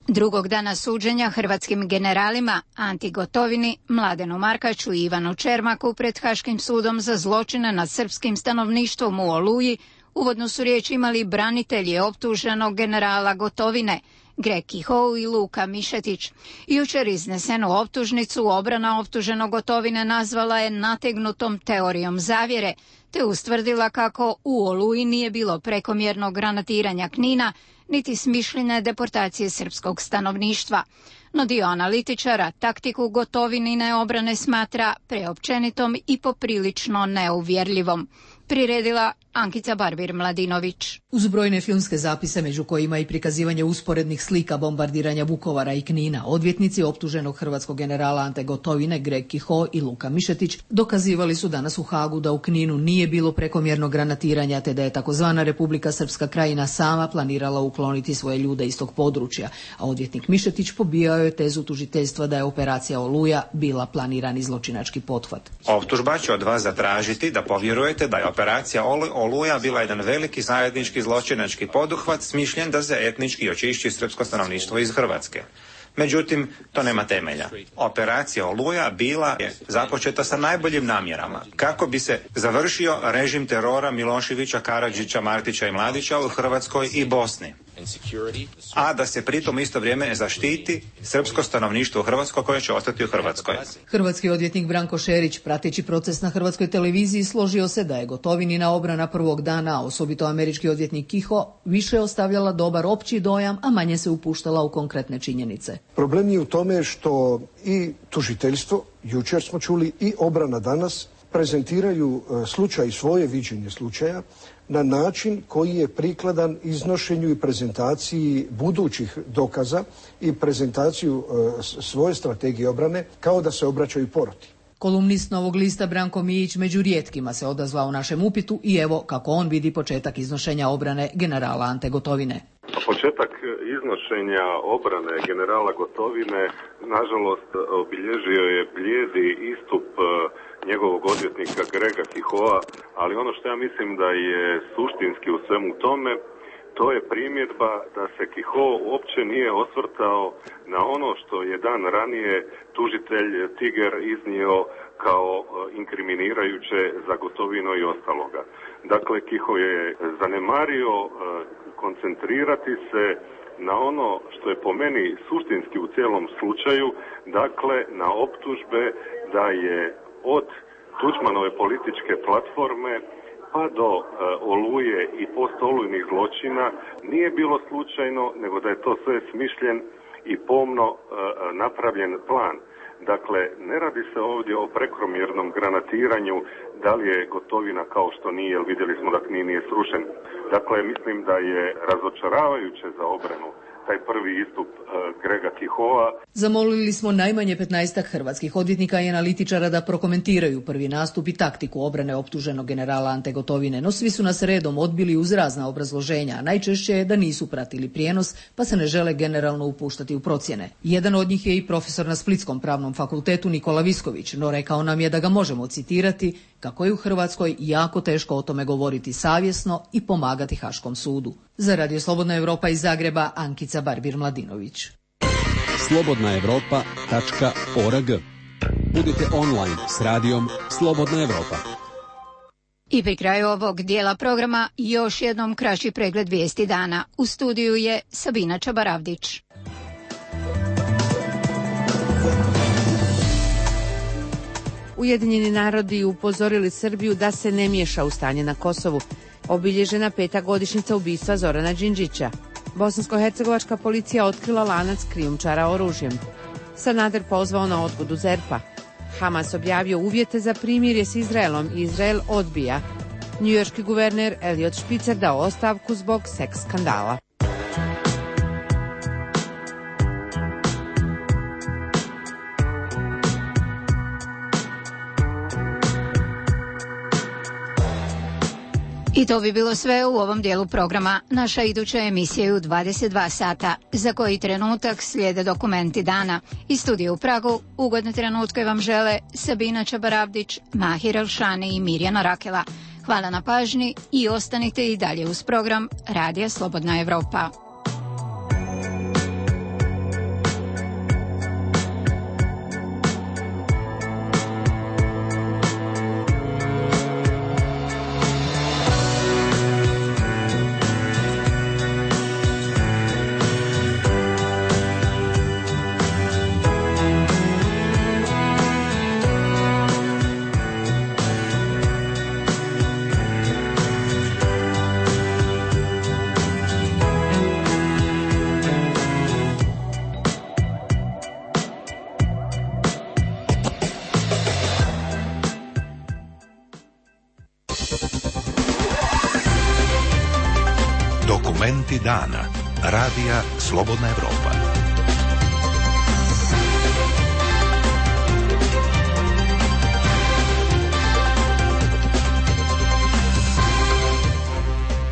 Drugog dana suđenja hrvatskim generalima Anti Gotovini, Mladenu Markaču i Ivanu Čermaku pred Haškim sudom za zločine nad srpskim stanovništvom u Oluji, uvodno su riječ imali branitelji optuženog generala Gotovine, Greg Kihou i Luka Mišetić. Jučer iznesenu optužnicu obrana optuženog Gotovine nazvala je nategnutom teorijom zavjere, te ustvrdila kako u Oluji nije bilo prekomjernog granatiranja Knina, niti smišljene deportacije srpskog stanovništva. No dio analitičara taktiku Gotovinine obrane smatra preopćenitom i poprilično neuvjerljivom. Priredila Ankica Barbir-Mladinović. Uz brojne filmske zapise, među kojima i prikazivanje usporednih slika bombardiranja Vukovara i Knina, odvjetnici optuženog hrvatskog generala Ante Gotovine, Greg Kihou i Luka Mišetić, dokazivali su danas u Hagu da u Kninu nije bilo prekomjernog granatiranja, te da je takozvana Republika Srpska Krajina sama planirala ukloniti svoje ljude iz tog područja, a odvjetnik Mišetić pobijao je tezu tužiteljstva da je operacija Oluja bila planirani zločinački pothvat. Optužba će od vas zatražiti da povjerujete da je operacija Oluja bila jedan veliki zajednički zločinački poduhvat smišljen da se etnički očišći srpsko stanovništvo iz Hrvatske. Međutim, to nema temelja. Operacija Oluja bila je započeta sa najboljim namjerama kako bi se završio režim terora Miloševića, Karadžića, Martića i Mladića u Hrvatskoj i Bosni, a da se pritom isto vrijeme zaštiti srpsko stanovništvo u Hrvatskoj koje će ostati u Hrvatskoj. Hrvatski odvjetnik Branko Šerić, prateći proces na hrvatskoj televiziji, složio se da je Gotovinina obrana prvog dana, a osobito američki odvjetnik Kihou, više ostavljala dobar opći dojam, a manje se upuštala u konkretne činjenice. Problem je u tome što i tužiteljstvo, jučer smo čuli, i obrana danas prezentiraju slučaj, svoje viđenje slučaja na način koji je prikladan iznošenju i prezentaciji budućih dokaza i prezentaciju svoje strategije obrane kao da se obraćaju poroti. Kolumnist Novog lista Branko Mijić među rijetkima se odazvao našem upitu i evo kako on vidi početak iznošenja obrane generala Ante Gotovine. Početak iznošenja obrane generala Gotovine nažalost obilježio je blijedi istup njegovog odvjetnika Grega Kihoua, ali ono što ja mislim da je suštinski u svemu tome, to je primjedba da se Kihou uopće nije osvrtao na ono što je dan ranije tužitelj Tiger iznio kao inkriminirajuće za Gotovinu i ostaloga. Dakle, Kihou je zanemario koncentrirati se na ono što je po meni suštinski u cijelom slučaju, dakle na optužbe da je od Tuđmanove političke platforme pa do Oluje i postolujnih zločina nije bilo slučajno, nego da je to sve smišljen i pomno napravljen plan. Dakle, ne radi se ovdje o prekomjernom granatiranju, da li je Gotovina kao što nije, jer vidjeli smo da Knin nije srušen. Dakle, mislim da je razočaravajuće za obranu taj prvi istup Grega Kihoua. Zamolili smo najmanje 15 hrvatskih odvjetnika i analitičara da prokomentiraju prvi nastup i taktiku obrane optuženog generala Ante Gotovine, no svi su nas redom odbili uz razna obrazloženja, a najčešće je da nisu pratili prijenos pa se ne žele generalno upuštati u procjene. Jedan od njih je i profesor na Splitskom pravnom fakultetu Nikola Visković, no rekao nam je da ga možemo citirati kako je u Hrvatskoj jako teško o tome govoriti savjesno i pomagati Haškom sudu. Za Radio Slobodna Evropa iz Zagreba, Ankica Barbir-Mladinović. slobodnaevropa.org. Budite online s radijom Slobodna Evropa. I pri kraju ovog dijela programa još jednom kraći pregled vijesti dana. U studiju je Sabina Čabaravdić. Ujedinjeni narodi upozorili Srbiju da se ne miješa u stanje na Kosovu. Obilježena 5. godišnjica ubistva Zorana Đinđića. Bosansko-hercegovačka policija otkrila lanac krijumčara oružjem. Sanader pozvao na odgodu ZERP-a. Hamas objavio uvjete za primirje s Izraelom i Izrael odbija. Njujorški guverner Eliot Spitzer dao ostavku zbog seks skandala. I to bi bilo sve u ovom dijelu programa. Naša iduća emisija je u 22 sata. Za koji trenutak slijede dokumenti dana. Iz studija u Pragu ugodne trenutke vam žele Sabina Čabarabdić, Mahir Elšani i Mirjana Rakela. Hvala na pažnji i ostanite i dalje uz program Radija Slobodna Evropa. Dokumenti dana. Radija Slobodna Evropa.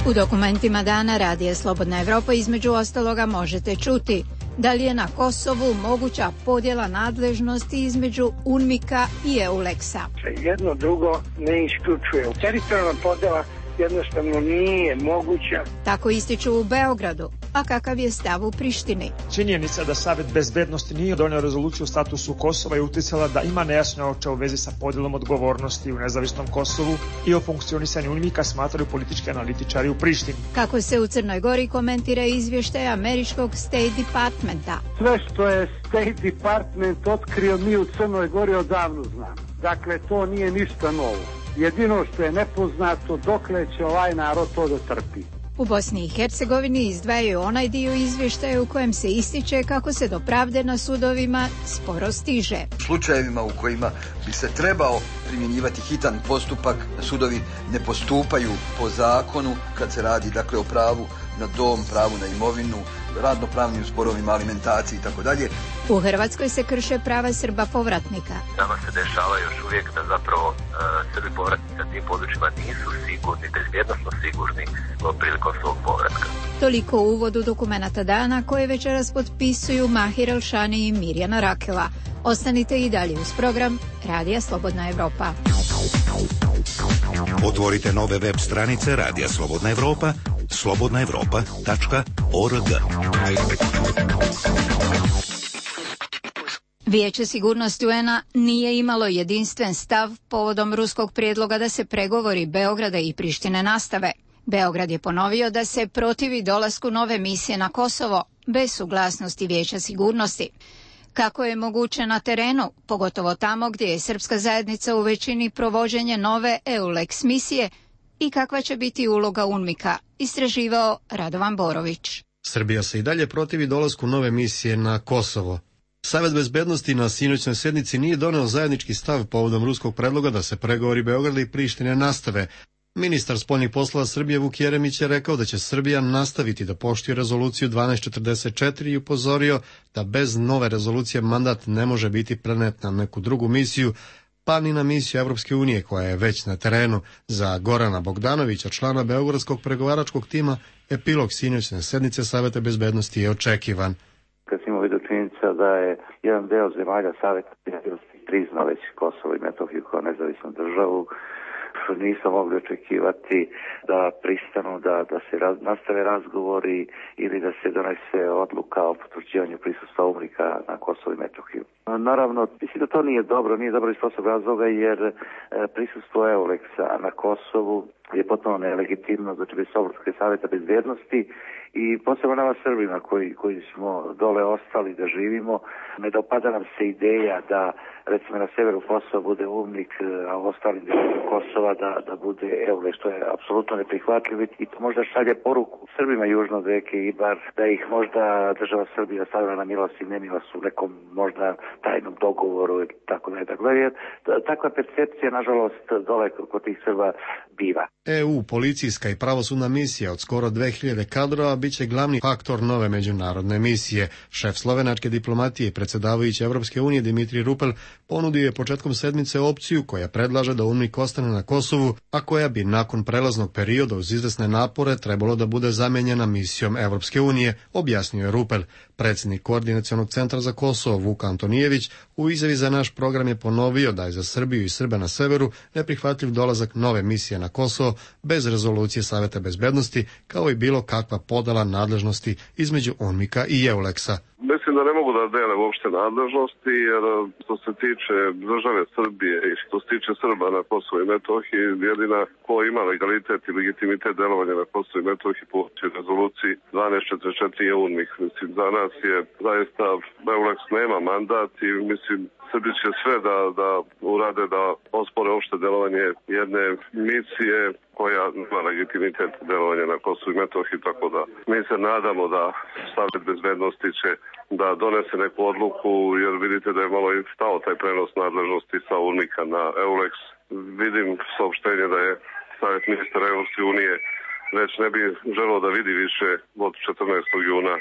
U dokumentima dana Radija Slobodna Evropa između ostaloga možete čuti da li je na Kosovu moguća podjela nadležnosti između UNMIK-a i EULEX-a. Jedno drugo ne isključuje. Teritorijalna podjela jednostavno nije moguća. Tako ističu u Beogradu, a kakav je stav u Prištini? Činjenica da Savet bezbednosti nije donio rezoluciju o statusu Kosova je uticala da ima nejasnoća u vezi sa podjelom odgovornosti u nezavisnom Kosovu i o funkcionisanju UNMIK-a, smatraju politički analitičari u Prištini. Kako se u Crnoj Gori komentira izvještaj američkog State Departmenta? Sve što je State Department otkrio mi u Crnoj Gori odavno znamo. Dakle, to nije ništa novo. Jedino što je nepoznato dokle će ovaj narod to da trpi. U Bosni i Hercegovini izdvajaju onaj dio izvještaja u kojem se ističe kako se do pravde na sudovima sporo stiže. U slučajevima u kojima bi se trebao primjenjivati hitan postupak, sudovi ne postupaju po zakonu kad se radi dakle o pravu na dom, pravu na imovinu, radnopravnim sporovima, alimentaciji i tako dalje. U Hrvatskoj se krše prava Srba povratnika. Nama se dešava još uvijek da zapravo Srbi povratnici na tim područjima nisu sigurni, bezbjednosno sigurni prilikom svog povratka. Toliko u uvodu dokumenata dana koje večeras potpisuju Mahir Elšani i Mirjana Rakela. Ostanite i dalje uz program Radija Slobodna Evropa. Otvorite nove web stranice Radija Slobodna Evropa, slobodnaevropa.org. Vijeće sigurnosti UN-a nije imalo jedinstven stav povodom ruskog prijedloga da se pregovori Beograda i Prištine nastave. Beograd je ponovio da se protivi dolasku nove misije na Kosovo bez suglasnosti Vijeća sigurnosti. Kako je moguće na terenu, pogotovo tamo gdje je srpska zajednica u većini provođenje nove EULEX misije i kakva će biti uloga UNMIK-a, istraživao Radovan Borović. Srbija se i dalje protivi dolasku nove misije na Kosovo. Savet bezbednosti na sinoćnoj sjednici nije doneo zajednički stav povodom ruskog predloga da se pregovori Beograda i Prištine nastave. Ministar spoljnih poslova Srbije Vuk Jeremić je rekao da će Srbija nastaviti da poštuje rezoluciju 1244 i upozorio da bez nove rezolucije mandat ne može biti prenet na neku drugu misiju, pa ni na misiju Evropske unije koja je već na terenu. Za Gorana Bogdanovića, člana beogradskog pregovaračkog tima, epilog sinoćne sednice Saveta bezbednosti je očekivan. Kad smo vidio činjenica da je jedan deo zemalja Saveta bezbednosti priznao već Kosovo i Metohiju kao nezavisnu državu, nismo mogli očekivati da pristanu da se nastave razgovori ili da se donese odluka o potvrđivanju prisustva UNMIK-a na Kosovo i Metohiju. Naravno, mislim da to nije dobro iz prostog razloga jer prisustvo EULEX-a na Kosovu je potpuno nelegitimno, znači bez Saveta bezbednosti i posebno nama Srbima koji smo dole ostali da živimo, ne dopada nam se ideja da recimo na severu Kosova bude UNMIK, a u ostalim dijelovima Kosova da bude EULEX, što je apsolutno neprihvatljivo i to možda šalje poruku Srbima južno od reke Ibar da ih možda država Srbija stavila na milost i nemilost u nekom možda tajnom dogovoru i tako dalje. Takva percepcija nažalost dole kod tih Srba biva. EU policijska i pravosudna misija od skoro 2000 kadrova bit će glavni faktor nove međunarodne misije. Šef slovenačke diplomatije i predsjedavajući Europske unije Dimitri Rupel ponudio je početkom sedmice opciju koja predlaže da UNMIK ostane na Kosovu, a koja bi nakon prelaznog perioda uz izvesne napore trebalo da bude zamijenjena misijom Europske unije, objasnio je Rupel. Predsjednik Koordinacionog centra za Kosovo Vuk Antonijević u izjavi za naš program je ponovio da je za Srbiju i Srbe na severu neprihvatljiv dolazak nove misije na Kosovo bez rezolucije Saveta bezbednosti, kao i bilo kakva podela nadležnosti između UNMIK-a i EULEX-a. Mislim da ne mogu da dele uopšte nadležnosti, jer što se tiče države Srbije i što se tiče Srba na Kosovo i Metohiji, jedina ko ima legalitet i legitimitet delovanja na Kosovo i Metohiji po rezoluciji 1244 je UNMIK. Mislim, za nas je zaista EULEX nema mandat i mislim Srbi će sve da urade da ospore uopšte delovanje jedne misije koja ima legitimitet delovanja na Kosovu i Metohiji, tako da mi se nadamo da Savet bezbednosti će da donese neku odluku, jer vidite da je malo i stao taj prenos nadležnosti sa UNMIK-a na EULEX. Vidim saopštenje da je Savet ministara Evropske unije već ne bi želeo da vidi više od 14. juna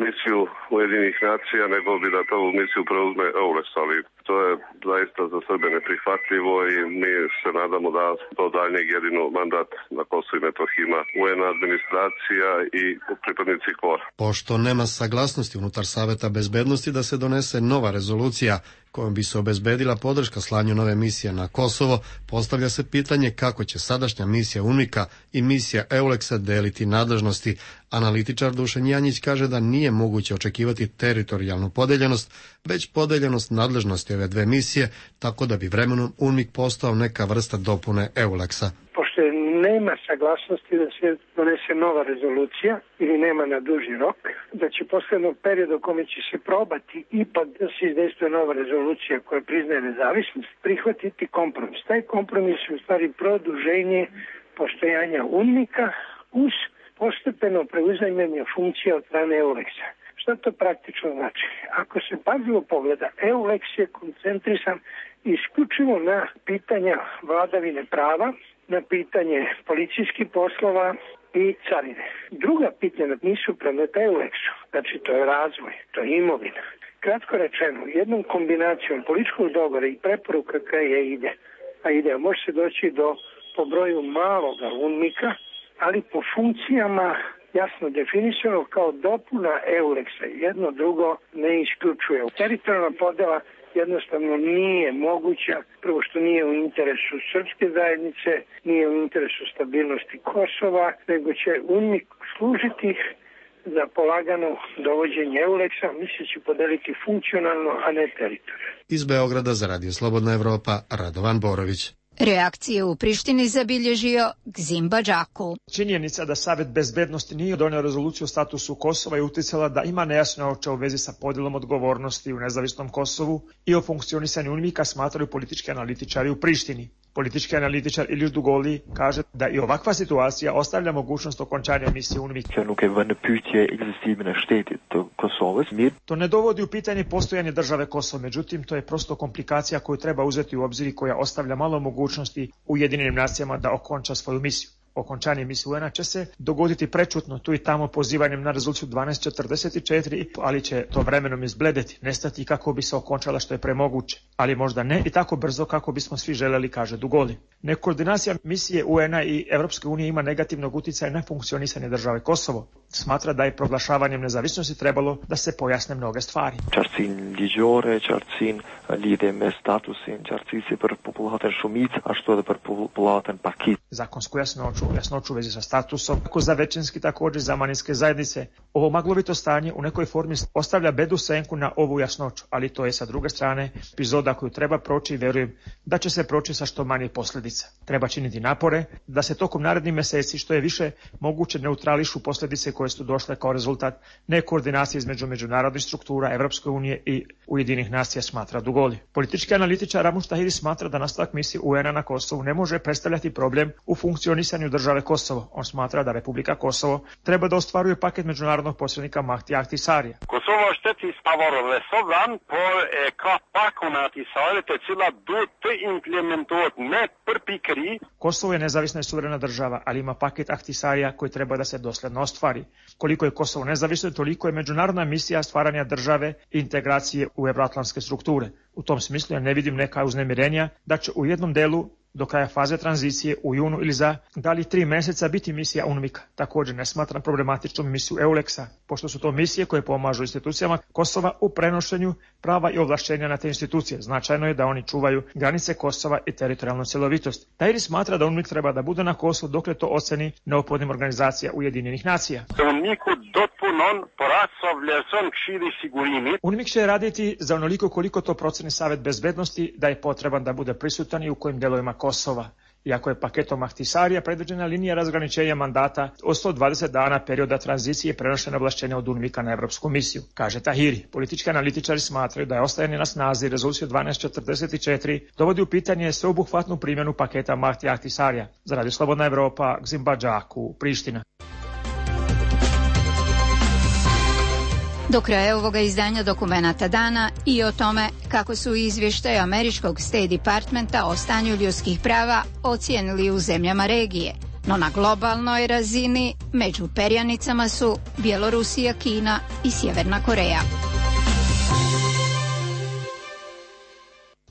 misiju Ujedinjenih nacija, nego bi da tu misiju preuzme EULEX, ali to je zaista za Srbe neprihvatljivo i mi se nadamo da do daljnjeg jedino mandat na Kosovu i Metohiji ima UN administracija i pripadnici KFOR. Pošto nema saglasnosti unutar Saveta bezbednosti da se donese nova rezolucija kojom bi se obezbedila podrška slanju nove misije na Kosovo, postavlja se pitanje kako će sadašnja misija UNMIK-a i misija EULEX-a deliti nadležnosti. Analitičar Dušan Janjić kaže da nije moguće očekivati teritorijalnu podeljenost, već podeljenost nadležnosti ove dve misije, tako da bi vremenom UNMIK postao neka vrsta dopune EULEX-a. Pošto nema saglasnosti da se donese nova rezolucija ili nema na duži rok, da će poslednog perioda u kome će se probati ipak da se izdejstvuje nova rezolucija koja priznaje nezavisnost, prihvatiti kompromis. Taj kompromis je u stvari produženje postojanja UNMIK-a uz postepeno preuzajmanje funkcija od strane EULEX-a. Šta to praktično znači? Ako se pažljivo pogleda, EULEX je koncentrisan isključivo na pitanja vladavine prava, na pitanje policijskih poslova i carine. Druga pitanja nisu predmeta EULEX-u, znači to je razvoj, to je imovina. Kratko rečeno, jednom kombinacijom političkog dogovora i preporuka koja ide, može se doći do po broju maloga UNMIK-a, ali po funkcijama jasno definisano kao dopuna EULEX-a. Jedno drugo ne isključuje. Teritorijalna podela jednostavno nije moguća, prvo što nije u interesu srpske zajednice, nije u interesu stabilnosti Kosova, nego će UNMIK služiti za polagano dovođenje EULEX-a, misli će podeliti funkcionalno, a ne teritorijalno. Iz Beograda za Radio Slobodna Evropa, Radovan Borović. Reakcije u Prištini zabilježio Gzim Badžaku. Činjenica da Savet bezbednosti nije donio rezoluciju o statusu Kosova je uticala da ima nejasnoća u vezi sa podjelom odgovornosti u nezavisnom Kosovu i o funkcionisanju UNMIK-a smatraju politički analitičari u Prištini. Politički analitičar Ilir Dugoli kaže da i ovakva situacija ostavlja mogućnost okončanja misije UNMIK. To ne dovodi u pitanje postojanje države Kosovo, međutim to je prosto komplikacija koju treba uzeti u obzir i koja ostavlja malo mogućnosti Ujedinjenim nacijama da okonča svoju misiju. Okončanje misije UN-a će se dogoditi prečutno tu i tamo pozivanjem na rezoluciju 1244, ali će to vremenom izbledeti, nestati kako bi se okončala što je premoguće, ali možda ne i tako brzo kako bismo svi želeli, kaže Dugoli. Nekoordinacija misije UN-a i Evropske unije ima negativnog utjecaja na funkcionisanje države Kosovo. Smatra da je proglašavanjem nezavisnosti trebalo da se pojasne mnoge stvari. Zakonsku jasnoću u vezi sa statusom, kako za većinski također za manjinske zajednice. Ovo maglovito stanje u nekoj formi ostavlja bedu senku na ovu jasnoću, ali to je sa druge strane epizoda koju treba proći i verujem da će se proći sa što manje posljedica. Treba činiti napore da se tokom narednih mjeseci što je više moguće neutrališu posljedice koje koje su došle kao rezultat nekoordinacije između međunarodnih struktura Evropske unije i Ujedinjenih nacija, smatra Dugoli. Politički analitičar Ramush Tahiri smatra da nastavak misije UN-a na Kosovu ne može predstavljati problem u funkcionisanju države Kosovo. On smatra da Republika Kosovo treba da ostvaruje paket međunarodnog posrednika Mahdi Ahtisarija. Kosovo është pavarësisht por e ka pakun e Ahtisarit e cila duhet të implementohet me përpikëri. Kosovo je nezavisna i suverena država, ali ima paket Ahtisarija koji treba da se dosledno ostvari. Koliko je Kosovo nezavisno, toliko je međunarodna misija stvaranja države i integracije u evroatlantske strukture. U tom smislu ja ne vidim neka uznemirenja da će u jednom delu do kraja faze tranzicije u junu ili za da li 3 meseca biti misija UNMIK-a. Također ne smatram problematičnom misiju EULEX-a, pošto su to misije koje pomažu institucijama Kosova u prenošenju prava i ovlašćenja na te institucije. Značajno je da oni čuvaju granice Kosova i teritorijalnu cjelovitost. Tahiri smatra da UNMIK treba da bude na Kosovu dokle to oceni neophodnim organizacija Ujedinjenih nacija. UNMIK će raditi za onoliko koliko to proceni Savet bezbednosti da je potreban da bude prisutan i u kojim delovima Kosova. Iako je paketom Ahtisarija predviđena linija razgraničenja mandata od 120 dana perioda tranzicije prenošenja ovlašćenja od UNMIK-a na Evropsku misiju, kaže Tahiri. Politički analitičari smatraju da je ostajanje na snazi rezolucije 1244 dovodi u pitanje sveobuhvatnu primjenu paketa Mahdi Ahtisarija. Za Radio Slobodna Evropa, Gzim Badžaku, Priština. Do kraja ovoga izdanja Dokumenata dana i o tome kako su izvještaje američkog State Departmenta o stanju ljudskih prava ocijenili u zemljama regije. No na globalnoj razini među perjanicama su Bjelorusija, Kina i Sjeverna Koreja.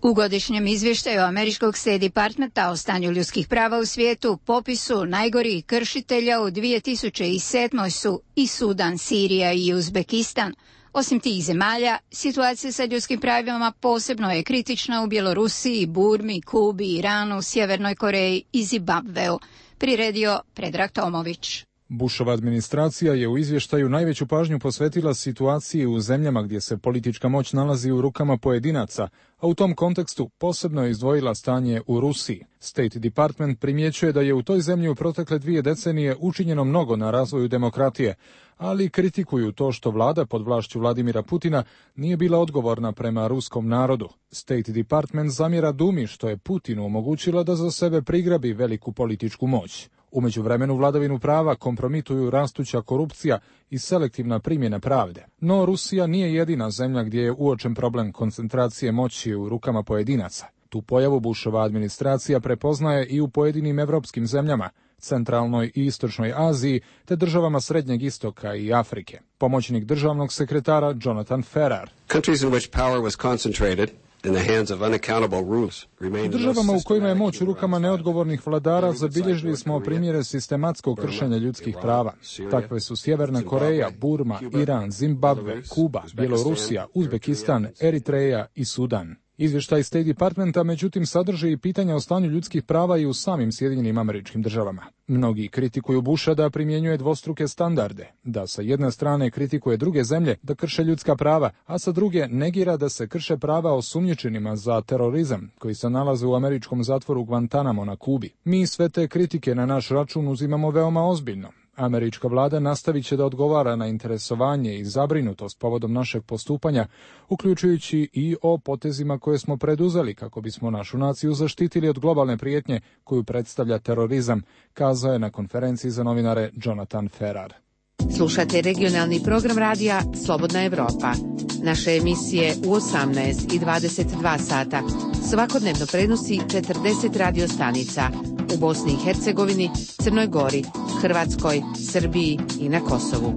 U godišnjem izvještaju američkog State Departmenta o stanju ljudskih prava u svijetu popisu najgorih kršitelja u 2007. su i Sudan, Sirija i Uzbekistan. Osim tih zemalja, situacija sa ljudskim pravima posebno je kritična u Bjelorusiji, Burmi, Kubi, Iranu, Sjevernoj Koreji i Zimbabveu, priredio Predrag Tomović. Bushova administracija je u izvještaju najveću pažnju posvetila situaciji u zemljama gdje se politička moć nalazi u rukama pojedinaca, a u tom kontekstu posebno je izdvojila stanje u Rusiji. State Department primjećuje da je u toj zemlji u protekle 2 decenije učinjeno mnogo na razvoju demokratije, ali kritikuju to što vlada pod vlašću Vladimira Putina nije bila odgovorna prema ruskom narodu. State Department zamjera Dumi što je Putinu omogućila da za sebe prigrabi veliku političku moć. U međuvremenu vladavinu prava kompromituju rastuća korupcija i selektivna primjena pravde. No Rusija nije jedina zemlja gdje je uočen problem koncentracije moći u rukama pojedinaca. Tu pojavu Bushova administracija prepoznaje i u pojedinim evropskim zemljama, centralnoj i istočnoj Aziji, te državama Srednjeg istoka i Afrike. Pomoćnik državnog sekretara Jonathan Ferrar. Countries in which power was concentrated u državama u kojima je moć u rukama neodgovornih vladara zabilježili smo primjere sistematskog kršenja ljudskih prava. Takve su Sjeverna Koreja, Burma, Iran, Zimbabve, Kuba, Bjelorusija, Uzbekistan, Eritreja i Sudan. Izvještaj State Departmenta međutim sadrži i pitanja o stanju ljudskih prava i u samim Sjedinjenim Američkim Državama. Mnogi kritikuju Busha da primjenjuje dvostruke standarde, da sa jedne strane kritikuje druge zemlje da krše ljudska prava, a sa druge negira da se krše prava osumnjičenima za terorizam koji se nalaze u američkom zatvoru Guantanamo na Kubi. Mi sve te kritike na naš račun uzimamo veoma ozbiljno. Američka vlada nastavit će da odgovara na interesovanje i zabrinutost povodom našeg postupanja, uključujući i o potezima koje smo preduzeli kako bismo našu naciju zaštitili od globalne prijetnje koju predstavlja terorizam, kazao je na konferenciji za novinare Jonathan Ferrar. Slušate regionalni program radija Slobodna Evropa. Naše emisije u 18 i 22 sata svakodnevno prenosi 40 radio stanica u Bosni i Hercegovini, Crnoj Gori, Hrvatskoj, Srbiji i na Kosovu.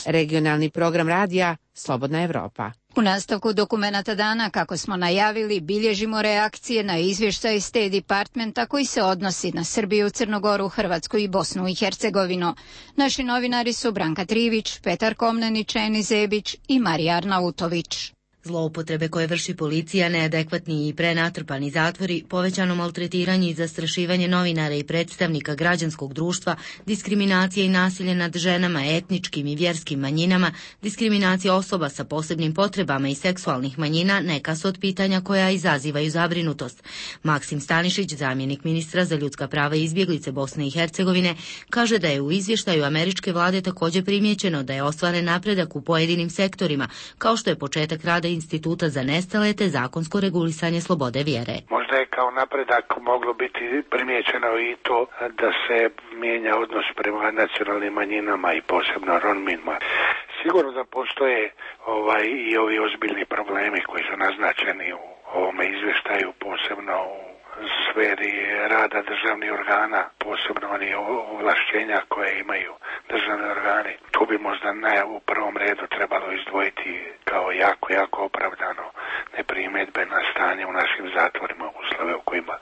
Regionalni program radija Slobodna Evropa. U nastavku Dokumenata dana, kako smo najavili, bilježimo reakcije na izvještaj State Departmenta koji se odnosi na Srbiju, Crnogoru, Hrvatsku i Bosnu i Hercegovinu. Naši novinari su Branka Trivić, Petar Komnenić, Eni Zebić i Marija Arnautović. Zloupotrebe koje vrši policija, neadekvatni i prenatrpani zatvori, povećano maltretiranje i zastrašivanje novinara i predstavnika građanskog društva, diskriminacija i nasilje nad ženama, etničkim i vjerskim manjinama, diskriminacija osoba sa posebnim potrebama i seksualnih manjina neka su od pitanja koja izazivaju zabrinutost. Maksim Stanišić, zamjenik ministra za ljudska prava i izbjeglice Bosne i Hercegovine, kaže da je u izvještaju američke vlade također primijećeno da je ostvaren napredak u pojedinim sektorima, kao što je početak rada Instituta za nestale te zakonsko regulisanje slobode vjere. Možda je kao napredak moglo biti primijećeno i to da se mijenja odnos prema nacionalnim manjinama i posebno Romima. Sigurno da postoje i ovi ozbiljni problemi koji su naznačeni u ovome izvještaju, posebno u sferi rada državnih organa, posebno oni ovlašćenja koje imaju državni organi. Tu bi možda u prvom redu trebalo izdvojiti kao jako opravdano neprimjedbe na stanje u našim zatvorima, uslove u kojima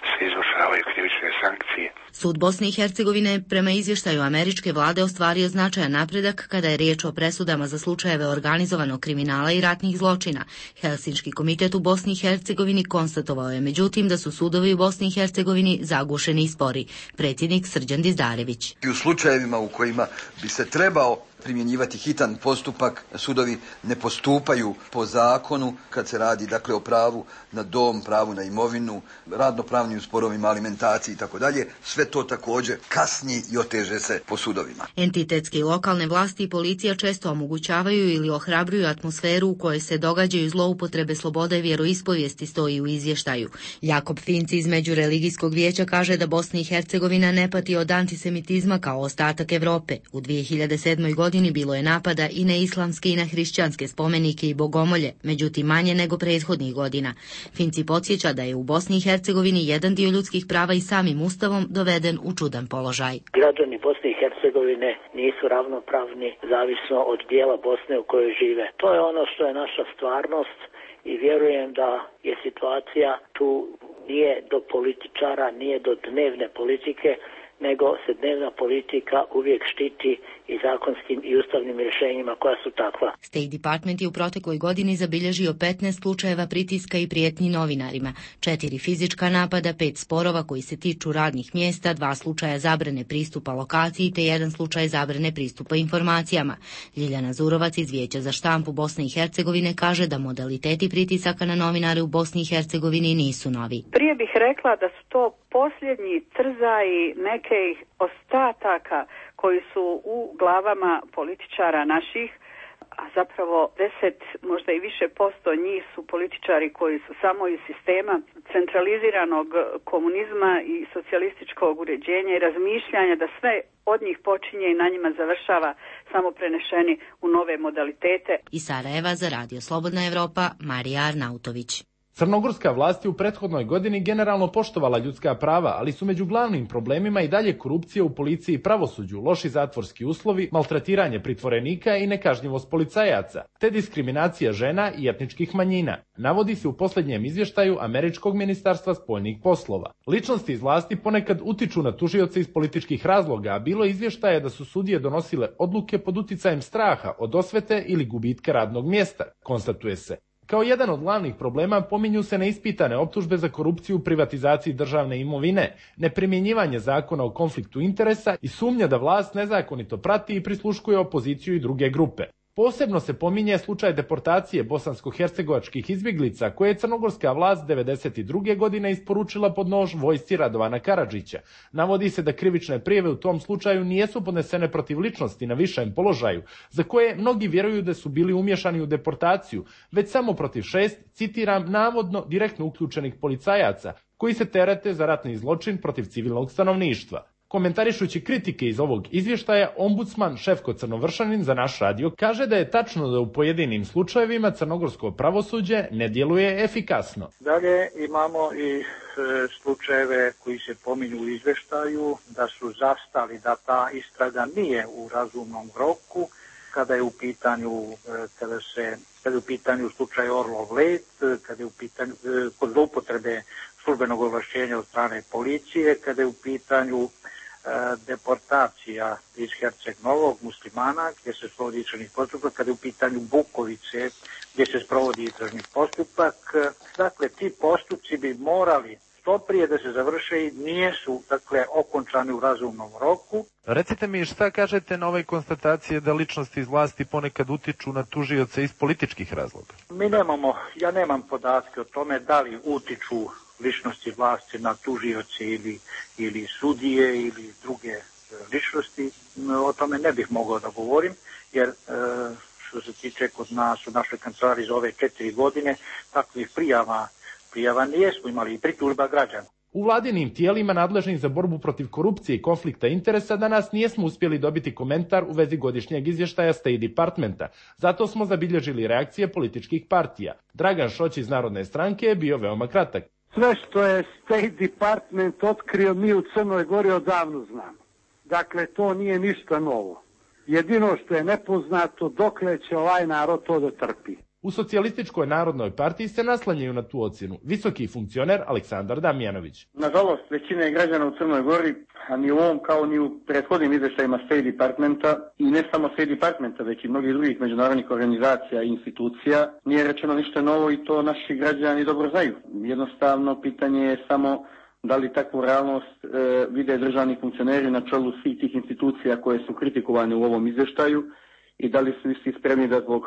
se izvršavaju krivične sankcije. Sud Bosne i Hercegovine prema izvještaju američke vlade ostvario značajan napredak kada je riječ o presudama za slučajeve organizovanog kriminala i ratnih zločina. Helsinški komitet u Bosni i Hercegovini konstatovao je međutim da su sudovi u Bosni i Hercegovini zagušeni i spori. Predsjednik Srđan Dizdarević. I u slučajevima u kojima bi se trebao primjenjivati hitan postupak, sudovi ne postupaju po zakonu kad se radi dakle o pravu na dom, pravu na imovinu, radnopravnim sporovima, alimentaciji i tako dalje. Sve to također kasni i oteže se po sudovima. Entitetske i lokalne vlasti i policija često omogućavaju ili ohrabruju atmosferu u kojoj se događaju zloupotrebe slobode vjeroispovijesti, stoji u izvještaju. Jakob Finci iz Međureligijskog vijeća kaže da Bosna i Hercegovina ne pati od antisemitizma kao ostatak Europe. U 2007. godini bilo je napada i na islamske i na hrišćanske spomenike i bogomolje, međutim manje nego prethodnih godina. Finci podsjeća da je u Bosni i Hercegovini jedan dio ljudskih prava i samim ustavom doveden u čudan položaj. Građani Bosne i Hercegovine nisu ravnopravni zavisno od dijela Bosne u kojoj žive. To je ono što je naša stvarnost i vjerujem da je situacija tu nije do političara, nije do dnevne politike, nego se dnevna politika uvijek štiti i zakonskim i ustavnim rješenjima koja su takva. State Department je u protekloj godini zabilježio 15 slučajeva pritiska i prijetnji novinarima, 4 fizička napada, 5 sporova koji se tiču radnih mjesta, 2 slučaja zabrane pristupa lokaciji te 1 slučaj zabrane pristupa informacijama. Ljiljana Zurovac iz Vijeća za štampu Bosne i Hercegovine kaže da modaliteti pritisaka na novinare u Bosni i Hercegovini nisu novi. Prije bih rekla da su to posljednji trzaji nekih ostataka koji su u glavama političara naših, a zapravo 10, možda i više posto njih su političari koji su samo iz sistema centraliziranog komunizma i socijalističkog uređenja i razmišljanja da sve od njih počinje i na njima završava, samo prenešeni u nove modalitete. Iz Sarajeva za Radio Slobodna Evropa, Marija Arnautović. Crnogorska vlast je u prethodnoj godini generalno poštovala ljudska prava, ali su među glavnim problemima i dalje korupcija u policiji i pravosuđu, loši zatvorski uslovi, maltretiranje pritvorenika i nekažnjivost policajaca, te diskriminacija žena i etničkih manjina, navodi se u posljednjem izvještaju Američkog ministarstva spoljnih poslova. Ličnosti iz vlasti ponekad utiču na tužioce iz političkih razloga, a bilo izvještaje da su sudije donosile odluke pod uticajem straha od osvete ili gubitka radnog mjesta, konstatuje se. Kao jedan od glavnih problema pominju se neispitane optužbe za korupciju u privatizaciji državne imovine, neprimjenjivanje zakona o konfliktu interesa i sumnja da vlast nezakonito prati i prisluškuje opoziciju i druge grupe. Posebno se pominje slučaj deportacije bosansko-hercegovačkih izbjeglica koje je crnogorska vlast 1992. godine isporučila pod nož vojsci Radovana Karadžića. Navodi se da krivične prijave u tom slučaju nijesu podnesene protiv ličnosti na višem položaju, za koje mnogi vjeruju da su bili umješani u deportaciju, već samo protiv 6, citiram, navodno direktno uključenih policajaca, koji se terete za ratni zločin protiv civilnog stanovništva. Komentarišući kritike iz ovog izvještaja, ombudsman Šefko Crnovršanin za naš radio kaže da je tačno da u pojedinim slučajevima crnogorsko pravosuđe ne djeluje efikasno. Dalje imamo i slučajeve koji se pominju u izvještaju da su zastali, da ta istraga nije u razumnom roku, kada je u pitanju slučaj Orlov Let, kada je u pitanju kod zloupotrebe službenog ovlašćenja od strane policije, kada je u pitanju deportacija iz Herceg Novog muslimana gdje se sprovodi istražni postupak, kada je u pitanju Bukovice gdje se sprovodi istražni postupak. Dakle, ti postupci bi morali što prije da se završe i nisu, dakle, okončani u razumnom roku. Recite mi šta kažete na ove konstatacije da ličnosti iz vlasti ponekad utiču na tužioce iz političkih razloga? Ja nemam podatke o tome da li utiču ličnosti vlasti na tužioce ili sudije ili druge ličnosti. O tome ne bih mogao da govorim, jer što se tiče kod nas u našoj kancelariji za ove 4 godine, takvih prijava nijesmo imali i pritužba građana. U vladinim tijelima nadležnim za borbu protiv korupcije i konflikta interesa danas nijesmo uspjeli dobiti komentar u vezi godišnjeg izvještaja State Departmenta. Zato smo zabilježili reakcije političkih partija. Dragan Šoć iz Narodne stranke je bio veoma kratak. Sve što je State Department otkrio mi u Crnoj Gori odavno znamo. Dakle, to nije ništa novo. Jedino što je nepoznato dokle će ovaj narod to da trpi. U Socijalističkoj narodnoj partiji se naslanjaju na tu ocjenu visoki funkcioner Aleksandar Damjanović. Nažalost, većina je građana u Crnoj Gori, a ni u ovom kao ni u prethodnim izvještajima State Departmenta i ne samo State Departmenta, već i mnogih drugih međunarodnih organizacija i institucija, nije rečeno ništa novo i to naši građani dobro znaju. Jednostavno, pitanje je samo da li takvu realnost vide državni funkcioneri na čelu svih tih institucija koje su kritikovane u ovom izvještaju i da li su svi spremni da zbog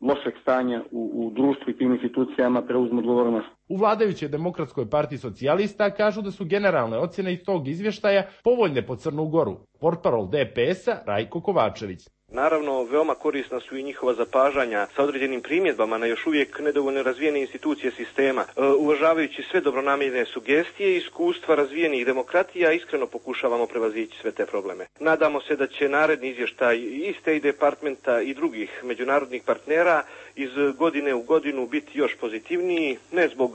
lošeg stanja u društvu i tim institucijama preuzmu odgovornost. U vladajućoj Demokratskoj partiji socijalista kažu da su generalne ocjene iz tog izvještaja povoljne po Crnu Goru. Portparol DPS-a Rajko Kovačević. Naravno, veoma korisna su i njihova zapažanja sa određenim primjedbama na još uvijek nedovoljno razvijene institucije sistema. Uvažavajući sve dobronamjerne sugestije i iskustva razvijenih demokratija, iskreno pokušavamo prevazići sve te probleme. Nadamo se da će naredni izvještaj i State Departmenta i drugih međunarodnih partnera iz godine u godinu biti još pozitivniji, ne zbog,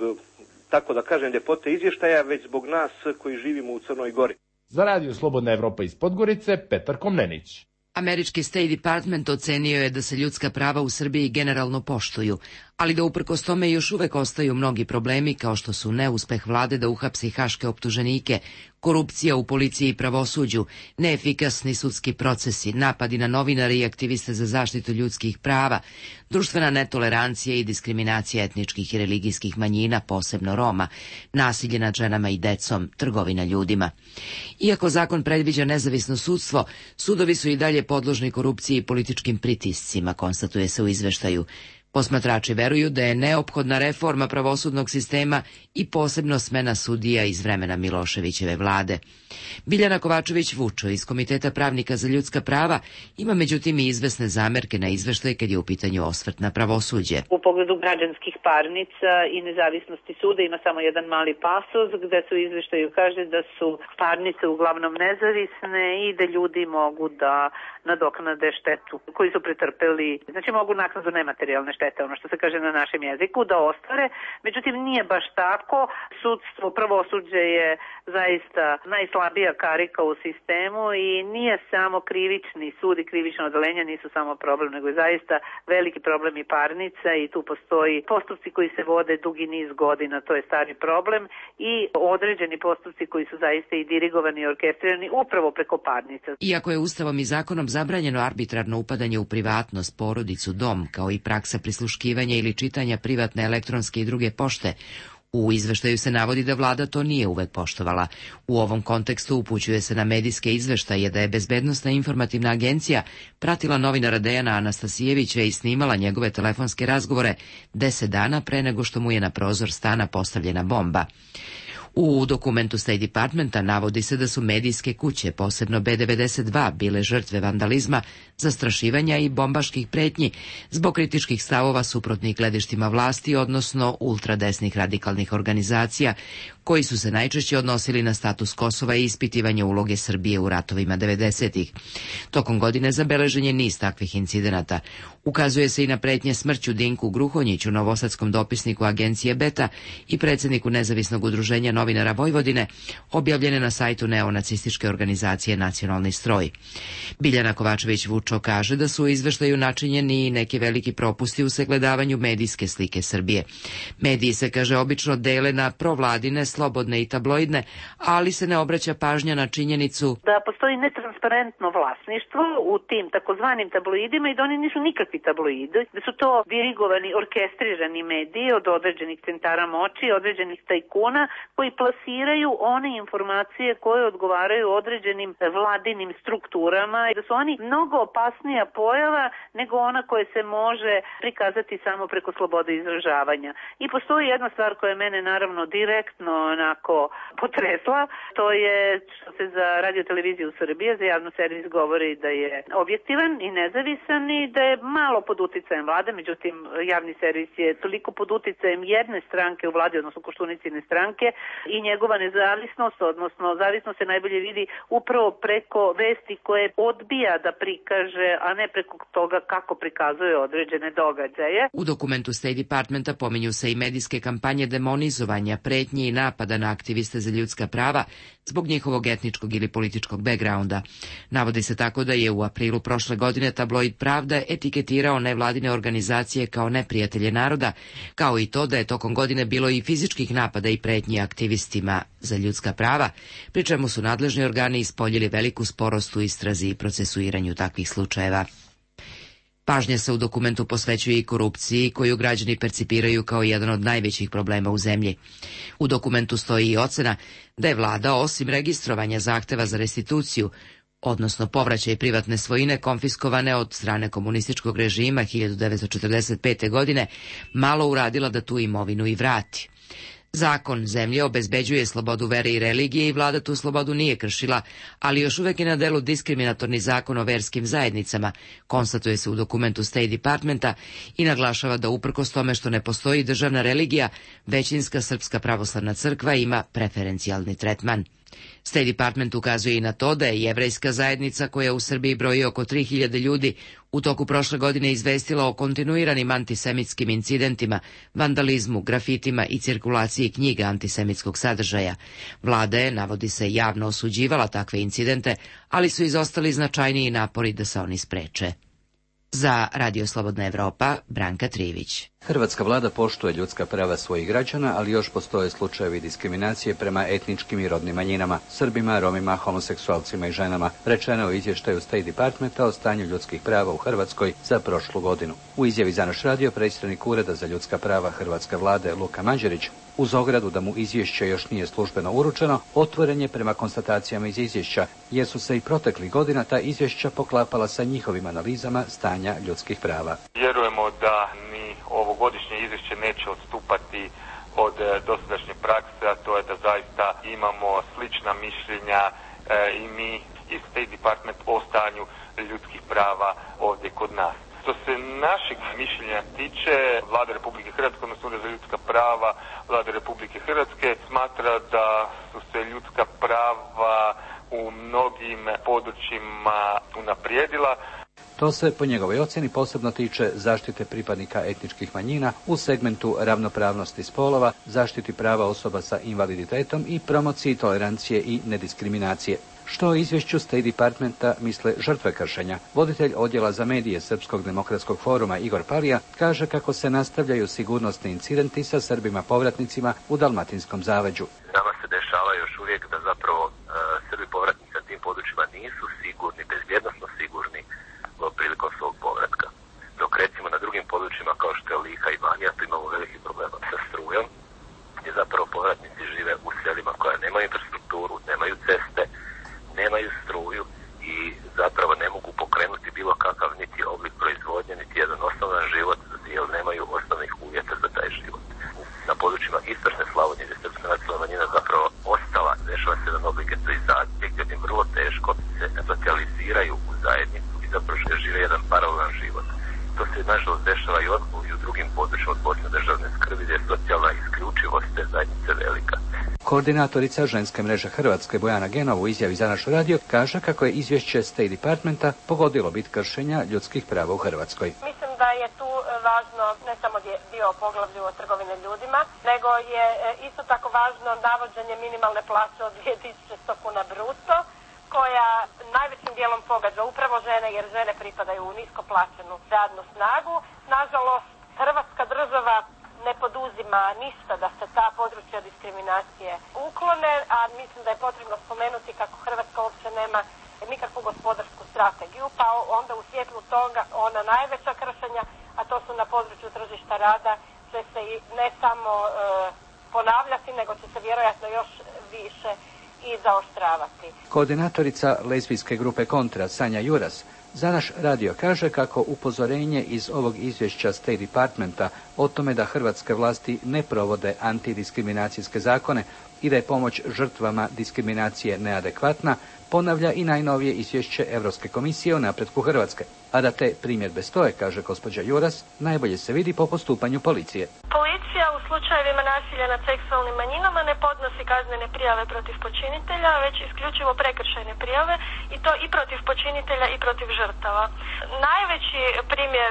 tako da kažem, ljepote izvještaja, već zbog nas koji živimo u Crnoj Gori. Za Radio Slobodna Evropa iz Podgorice, Petar Komnenić. Američki State Department ocenio je da se ljudska prava u Srbiji generalno poštuju, ali da uprkos tome još uvek ostaju mnogi problemi kao što su neuspeh vlade da uhapsi haške optuženike, korupcija u policiji i pravosuđu, neefikasni sudski procesi, napadi na novinare i aktiviste za zaštitu ljudskih prava, društvena netolerancija i diskriminacija etničkih i religijskih manjina, posebno Roma, nasilje nad ženama i decom, trgovina ljudima. Iako zakon predviđa nezavisno sudstvo, sudovi su i dalje podložni korupciji i političkim pritiscima, konstatuje se u izveštaju. Posmatrači veruju da je neophodna reforma pravosudnog sistema i posebno smena sudija iz vremena Miloševićeve vlade. Biljana Kovačević-Vučo iz Komiteta pravnika za ljudska prava ima međutim i izvesne zamerke na izveštaj kad je u pitanju osvrt na pravosuđe. U pogledu građanskih parnica i nezavisnosti suda ima samo jedan mali pasus gde se u izveštaju kaže da su parnice uglavnom nezavisne i da ljudi mogu da nadoknade štetu koju su pretrpeli. Znači mogu naknadu nematerijalne štete, ono što se kaže na našem jeziku, da ostvare. Međutim, nije baš tako. Sudstvo, pravosuđe je zaista najslabija karika u sistemu i nije samo krivični sud i krivično odeljenje nisu samo problem, nego je zaista veliki problem i parnica i tu postoji postupci koji se vode dugi niz godina, to je stari problem i određeni postupci koji su zaista i dirigovani i orkestrirani upravo preko parnica. Iako je Ustavom i zakonom zabranjeno arbitrarno upadanje u privatnost, porodicu, dom, kao i praksa prisluškivanja ili čitanja privatne elektronske i druge pošte, u izveštaju se navodi da vlada to nije uvek poštovala. U ovom kontekstu upućuje se na medijske izveštaje da je Bezbednosna informativna agencija pratila novinara Dejana Anastasijevića i snimala njegove telefonske razgovore 10 dana pre nego što mu je na prozor stana postavljena bomba. U dokumentu State Departmenta navodi se da su medijske kuće, posebno B92, bile žrtve vandalizma, zastrašivanja i bombaških pretnji zbog kritičkih stavova suprotnih gledištima vlasti, odnosno ultradesnih radikalnih organizacija, koji su se najčešće odnosili na status Kosova i ispitivanje uloge Srbije u ratovima 90-ih. Tokom godine zabeležen je niz takvih incidenata. Ukazuje se i na pretnje smrću Dinku Gruhonjiću, novosadskom dopisniku agencije Beta i predsjedniku nezavisnog udruženja novinara Vojvodine, objavljene na sajtu neonacističke organizacije Nacionalni stroj. Biljana Kovačević-Vučo kaže da su u izveštaju načinjeni i neki veliki propusti u sagledavanju medijske slike Srbije. Mediji se, kaže, obično dele na provladine, slobodne i tabloidne, ali se ne obraća pažnja na činjenicu da postoji netransparentno vlasništvo u tim takozvanim tabloidima i da oni nisu nikakvi tabloidi, da su to dirigovani, orkestrirani mediji od određenih centara moći, određenih tajkuna koji plasiraju one informacije koje odgovaraju određenim vladinim strukturama i da su oni mnogo opasnija pojava nego ona koja se može prikazati samo preko slobode izražavanja. I postoji jedna stvar koja je mene naravno direktno onako potresla, to je što se za radio-televiziju Srbije, za javnu servis govori da je objektivan i nezavisan i da je malo pod uticajem vlade, međutim javni servis je toliko pod uticajem jedne stranke u vladi, odnosno Koštunicine stranke, i njegova nezavisnost, odnosno zavisnost se najbolje vidi upravo preko vesti koje odbija da prikaže, a ne preko toga kako prikazuje određene događaje. U dokumentu State Departmenta pominju se i medijske kampanje demonizovanja, pretnji i napada na aktiviste za ljudska prava zbog njihovog etničkog ili političkog backgrounda. Navodi se tako da je u aprilu prošle godine tabloid Pravda etiketirao nevladine organizacije kao neprijatelje naroda, kao i to da je tokom godine bilo i fizičkih napada i pretnji aktivistima za ljudska prava, pri čemu su nadležni organi ispoljili veliku sporost u istrazi i procesuiranju takvih slučajeva. Pažnja se u dokumentu posvećuje i korupciji koju građani percipiraju kao jedan od najvećih problema u zemlji. U dokumentu stoji i ocena da je vlada osim registrovanja zahteva za restituciju, odnosno povraćaj privatne svojine konfiskovane od strane komunističkog režima 1945. godine, malo uradila da tu imovinu i vrati. Zakon zemlje obezbeđuje slobodu vere i religije i vlada tu slobodu nije kršila, ali još uvek je na delu diskriminatorni zakon o verskim zajednicama, konstatuje se u dokumentu State Departmenta i naglašava da uprkos tome što ne postoji državna religija, većinska Srpska pravoslavna crkva ima preferencijalni tretman. State Department ukazuje i na to da je jevrejska zajednica, koja u Srbiji broji oko 3000 ljudi, u toku prošle godine izvestila o kontinuiranim antisemitskim incidentima, vandalizmu, grafitima i cirkulaciji knjiga antisemitskog sadržaja. Vlada je, navodi se, javno osuđivala takve incidente, ali su izostali značajniji napori da se oni spreče. Za Radio Slobodna Evropa, Branka Trivić. Hrvatska vlada poštuje ljudska prava svojih građana, ali još postoje slučajevi diskriminacije prema etničkim i rodnim manjinama, Srbima, Romima, homoseksualcima i ženama, rečeno u izvještaju State Departmenta o stanju ljudskih prava u Hrvatskoj za prošlu godinu. U izjavi za naš radio predsjednik Ureda za ljudska prava Hrvatske vlade Luka Mađerić, uz ogradu da mu izvješće još nije službeno uručeno, otvoren je prema konstatacijama iz izvješća, jer su se i proteklih godina ta izvješća poklapala sa njihovim analizama stanja ljudskih prava. Vjerujemo da ni ovogodišnje izvješće neće odstupati od dosadašnje prakse, a to je da zaista imamo slična mišljenja i mi i State Department o stanju ljudskih prava ovdje kod nas. Što se naših mišljenja tiče, Vlada Republike Hrvatske, odnosno Ured za ljudska prava Vlade Republike Hrvatske smatra da su se ljudska prava u mnogim područjima unaprijedila. To se, po njegovoj ocjeni, posebno tiče zaštite pripadnika etničkih manjina u segmentu ravnopravnosti spolova, zaštiti prava osoba sa invaliditetom i promociji tolerancije i nediskriminacije. Što o izvješću State Departmenta misle žrtve kršenja? Voditelj odjela za medije Srpskog demokratskog foruma Igor Palija kaže kako se nastavljaju sigurnosni incidenti sa Srbima povratnicima u Dalmatinskom zaleđu. Nama se dešava još uvijek da zapravo Srbi povratnici na tim područjima nisu sigurni, bezbjednosno sigurni prilikom svog povratka. Dok recimo na drugim područjima kao što je Lika i Banija, tu imamo veliki problema sa strujom, gdje zapravo povratnici žive u selima koja nemaju infrastrukturu, nemaju ceste, nemaju struju i zapravo ne mogu pokrenuti bilo kakav niti oblik proizvodnje, niti jedan osnovan život, jer nemaju osnovnih uvjeta za taj život. Na područjima istočne Slavonije, gdje srpska nacionalna manjina zapravo ostala, dešava se jedan oblik getoizacije, gdje im vrlo teško se socijaliziraju u zajednicu i zapravo žive jedan paralelan život. To se nažalost dešava i u drugim područjima od posebne državne skrbi, gdje je socijalna isključivost te zajednice velika. Koordinatorica ženske mreže Hrvatske Bojana Genova u izjavi za naš radio kaže kako je izvješće State Departmenta pogodilo bit kršenja ljudskih prava u Hrvatskoj. Mislim da je tu važno ne samo dio poglavlju o trgovine ljudima, nego je isto tako važno navođenje minimalne plaće od 2100 kuna bruto, koja najvećim dijelom pogađa upravo žene, jer žene pripadaju u nisko plaćenu radnu snagu. Nažalost, Hrvatska država ne poduzima ništa da se ta područja diskriminacije uklone, a mislim da je potrebno spomenuti kako Hrvatska uopće nema nikakvu gospodarsku strategiju, pa onda u svjetlu toga ona najveća kršenja, a to su na području tržišta rada, će se i ne samo ponavljati, nego će se vjerojatno još više i zaoštravati. Koordinatorica lezbijske grupe Kontra, Sanja Juras, za naš radio kaže kako upozorenje iz ovog izvješća State Departmenta o tome da hrvatske vlasti ne provode antidiskriminacijske zakone i da je pomoć žrtvama diskriminacije neadekvatna, ponavlja i najnovije izvješće Europske komisije o napretku Hrvatske. A da te primjedbe stoje, kaže gospođa Juras, najbolje se vidi po postupanju policije. Policija u slučajevima nasilja nad seksualnim manjinama ne podnosi kaznene prijave protiv počinitelja, već isključivo prekršajne prijave i to i protiv počinitelja i protiv žrtava. Najveći primjer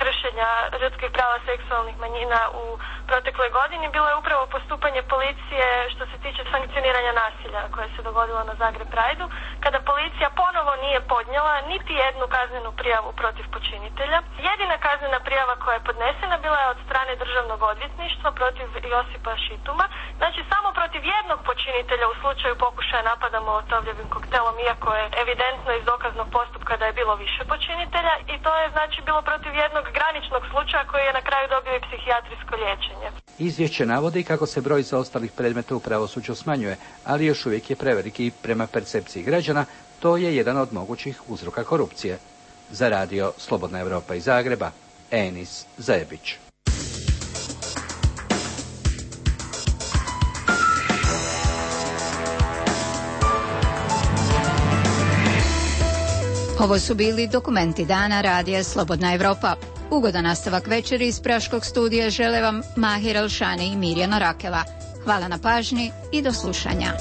kršenja ljudskih prava seksualnih manjina u protekloj godini bilo je upravo postupanje policije što se tiče sankcioniranja nasilja koje se dogodilo na Zagreb Prideu, kada policija ponovo nije podnijela niti jednu kaznenu prijavu protiv počinitelja. Jedina kaznena prijava koja je podnesena bila je od strane Državnog odvjetništva protiv Josipa Šituma, znači samo protiv jednog počinitelja u slučaju pokušaja napada molotovljevim koktelom, iako je evidentno iz dokaznog postupka da je bilo više počinitelja, i to je znači bilo protiv jednog graničnog slučaja koji je na kraju dobio i psihijatrijsko liječenje. Izvješće navodi kako se broj zaostalih predmeta u pravosuđu smanjuje, ali još uvijek je preveliki i prema percepciji građana. To je jedan od mogućih uzroka korupcije. Za radio Slobodna Europa iz Zagreba, Enis Zajebić. Ovo su bili dokumenti dana radija Slobodna Europa. Ugodan nastavak večeri iz Praškog studija žele vam Mahir Alšani i Mirjana Rakela. Hvala na pažnji i do slušanja.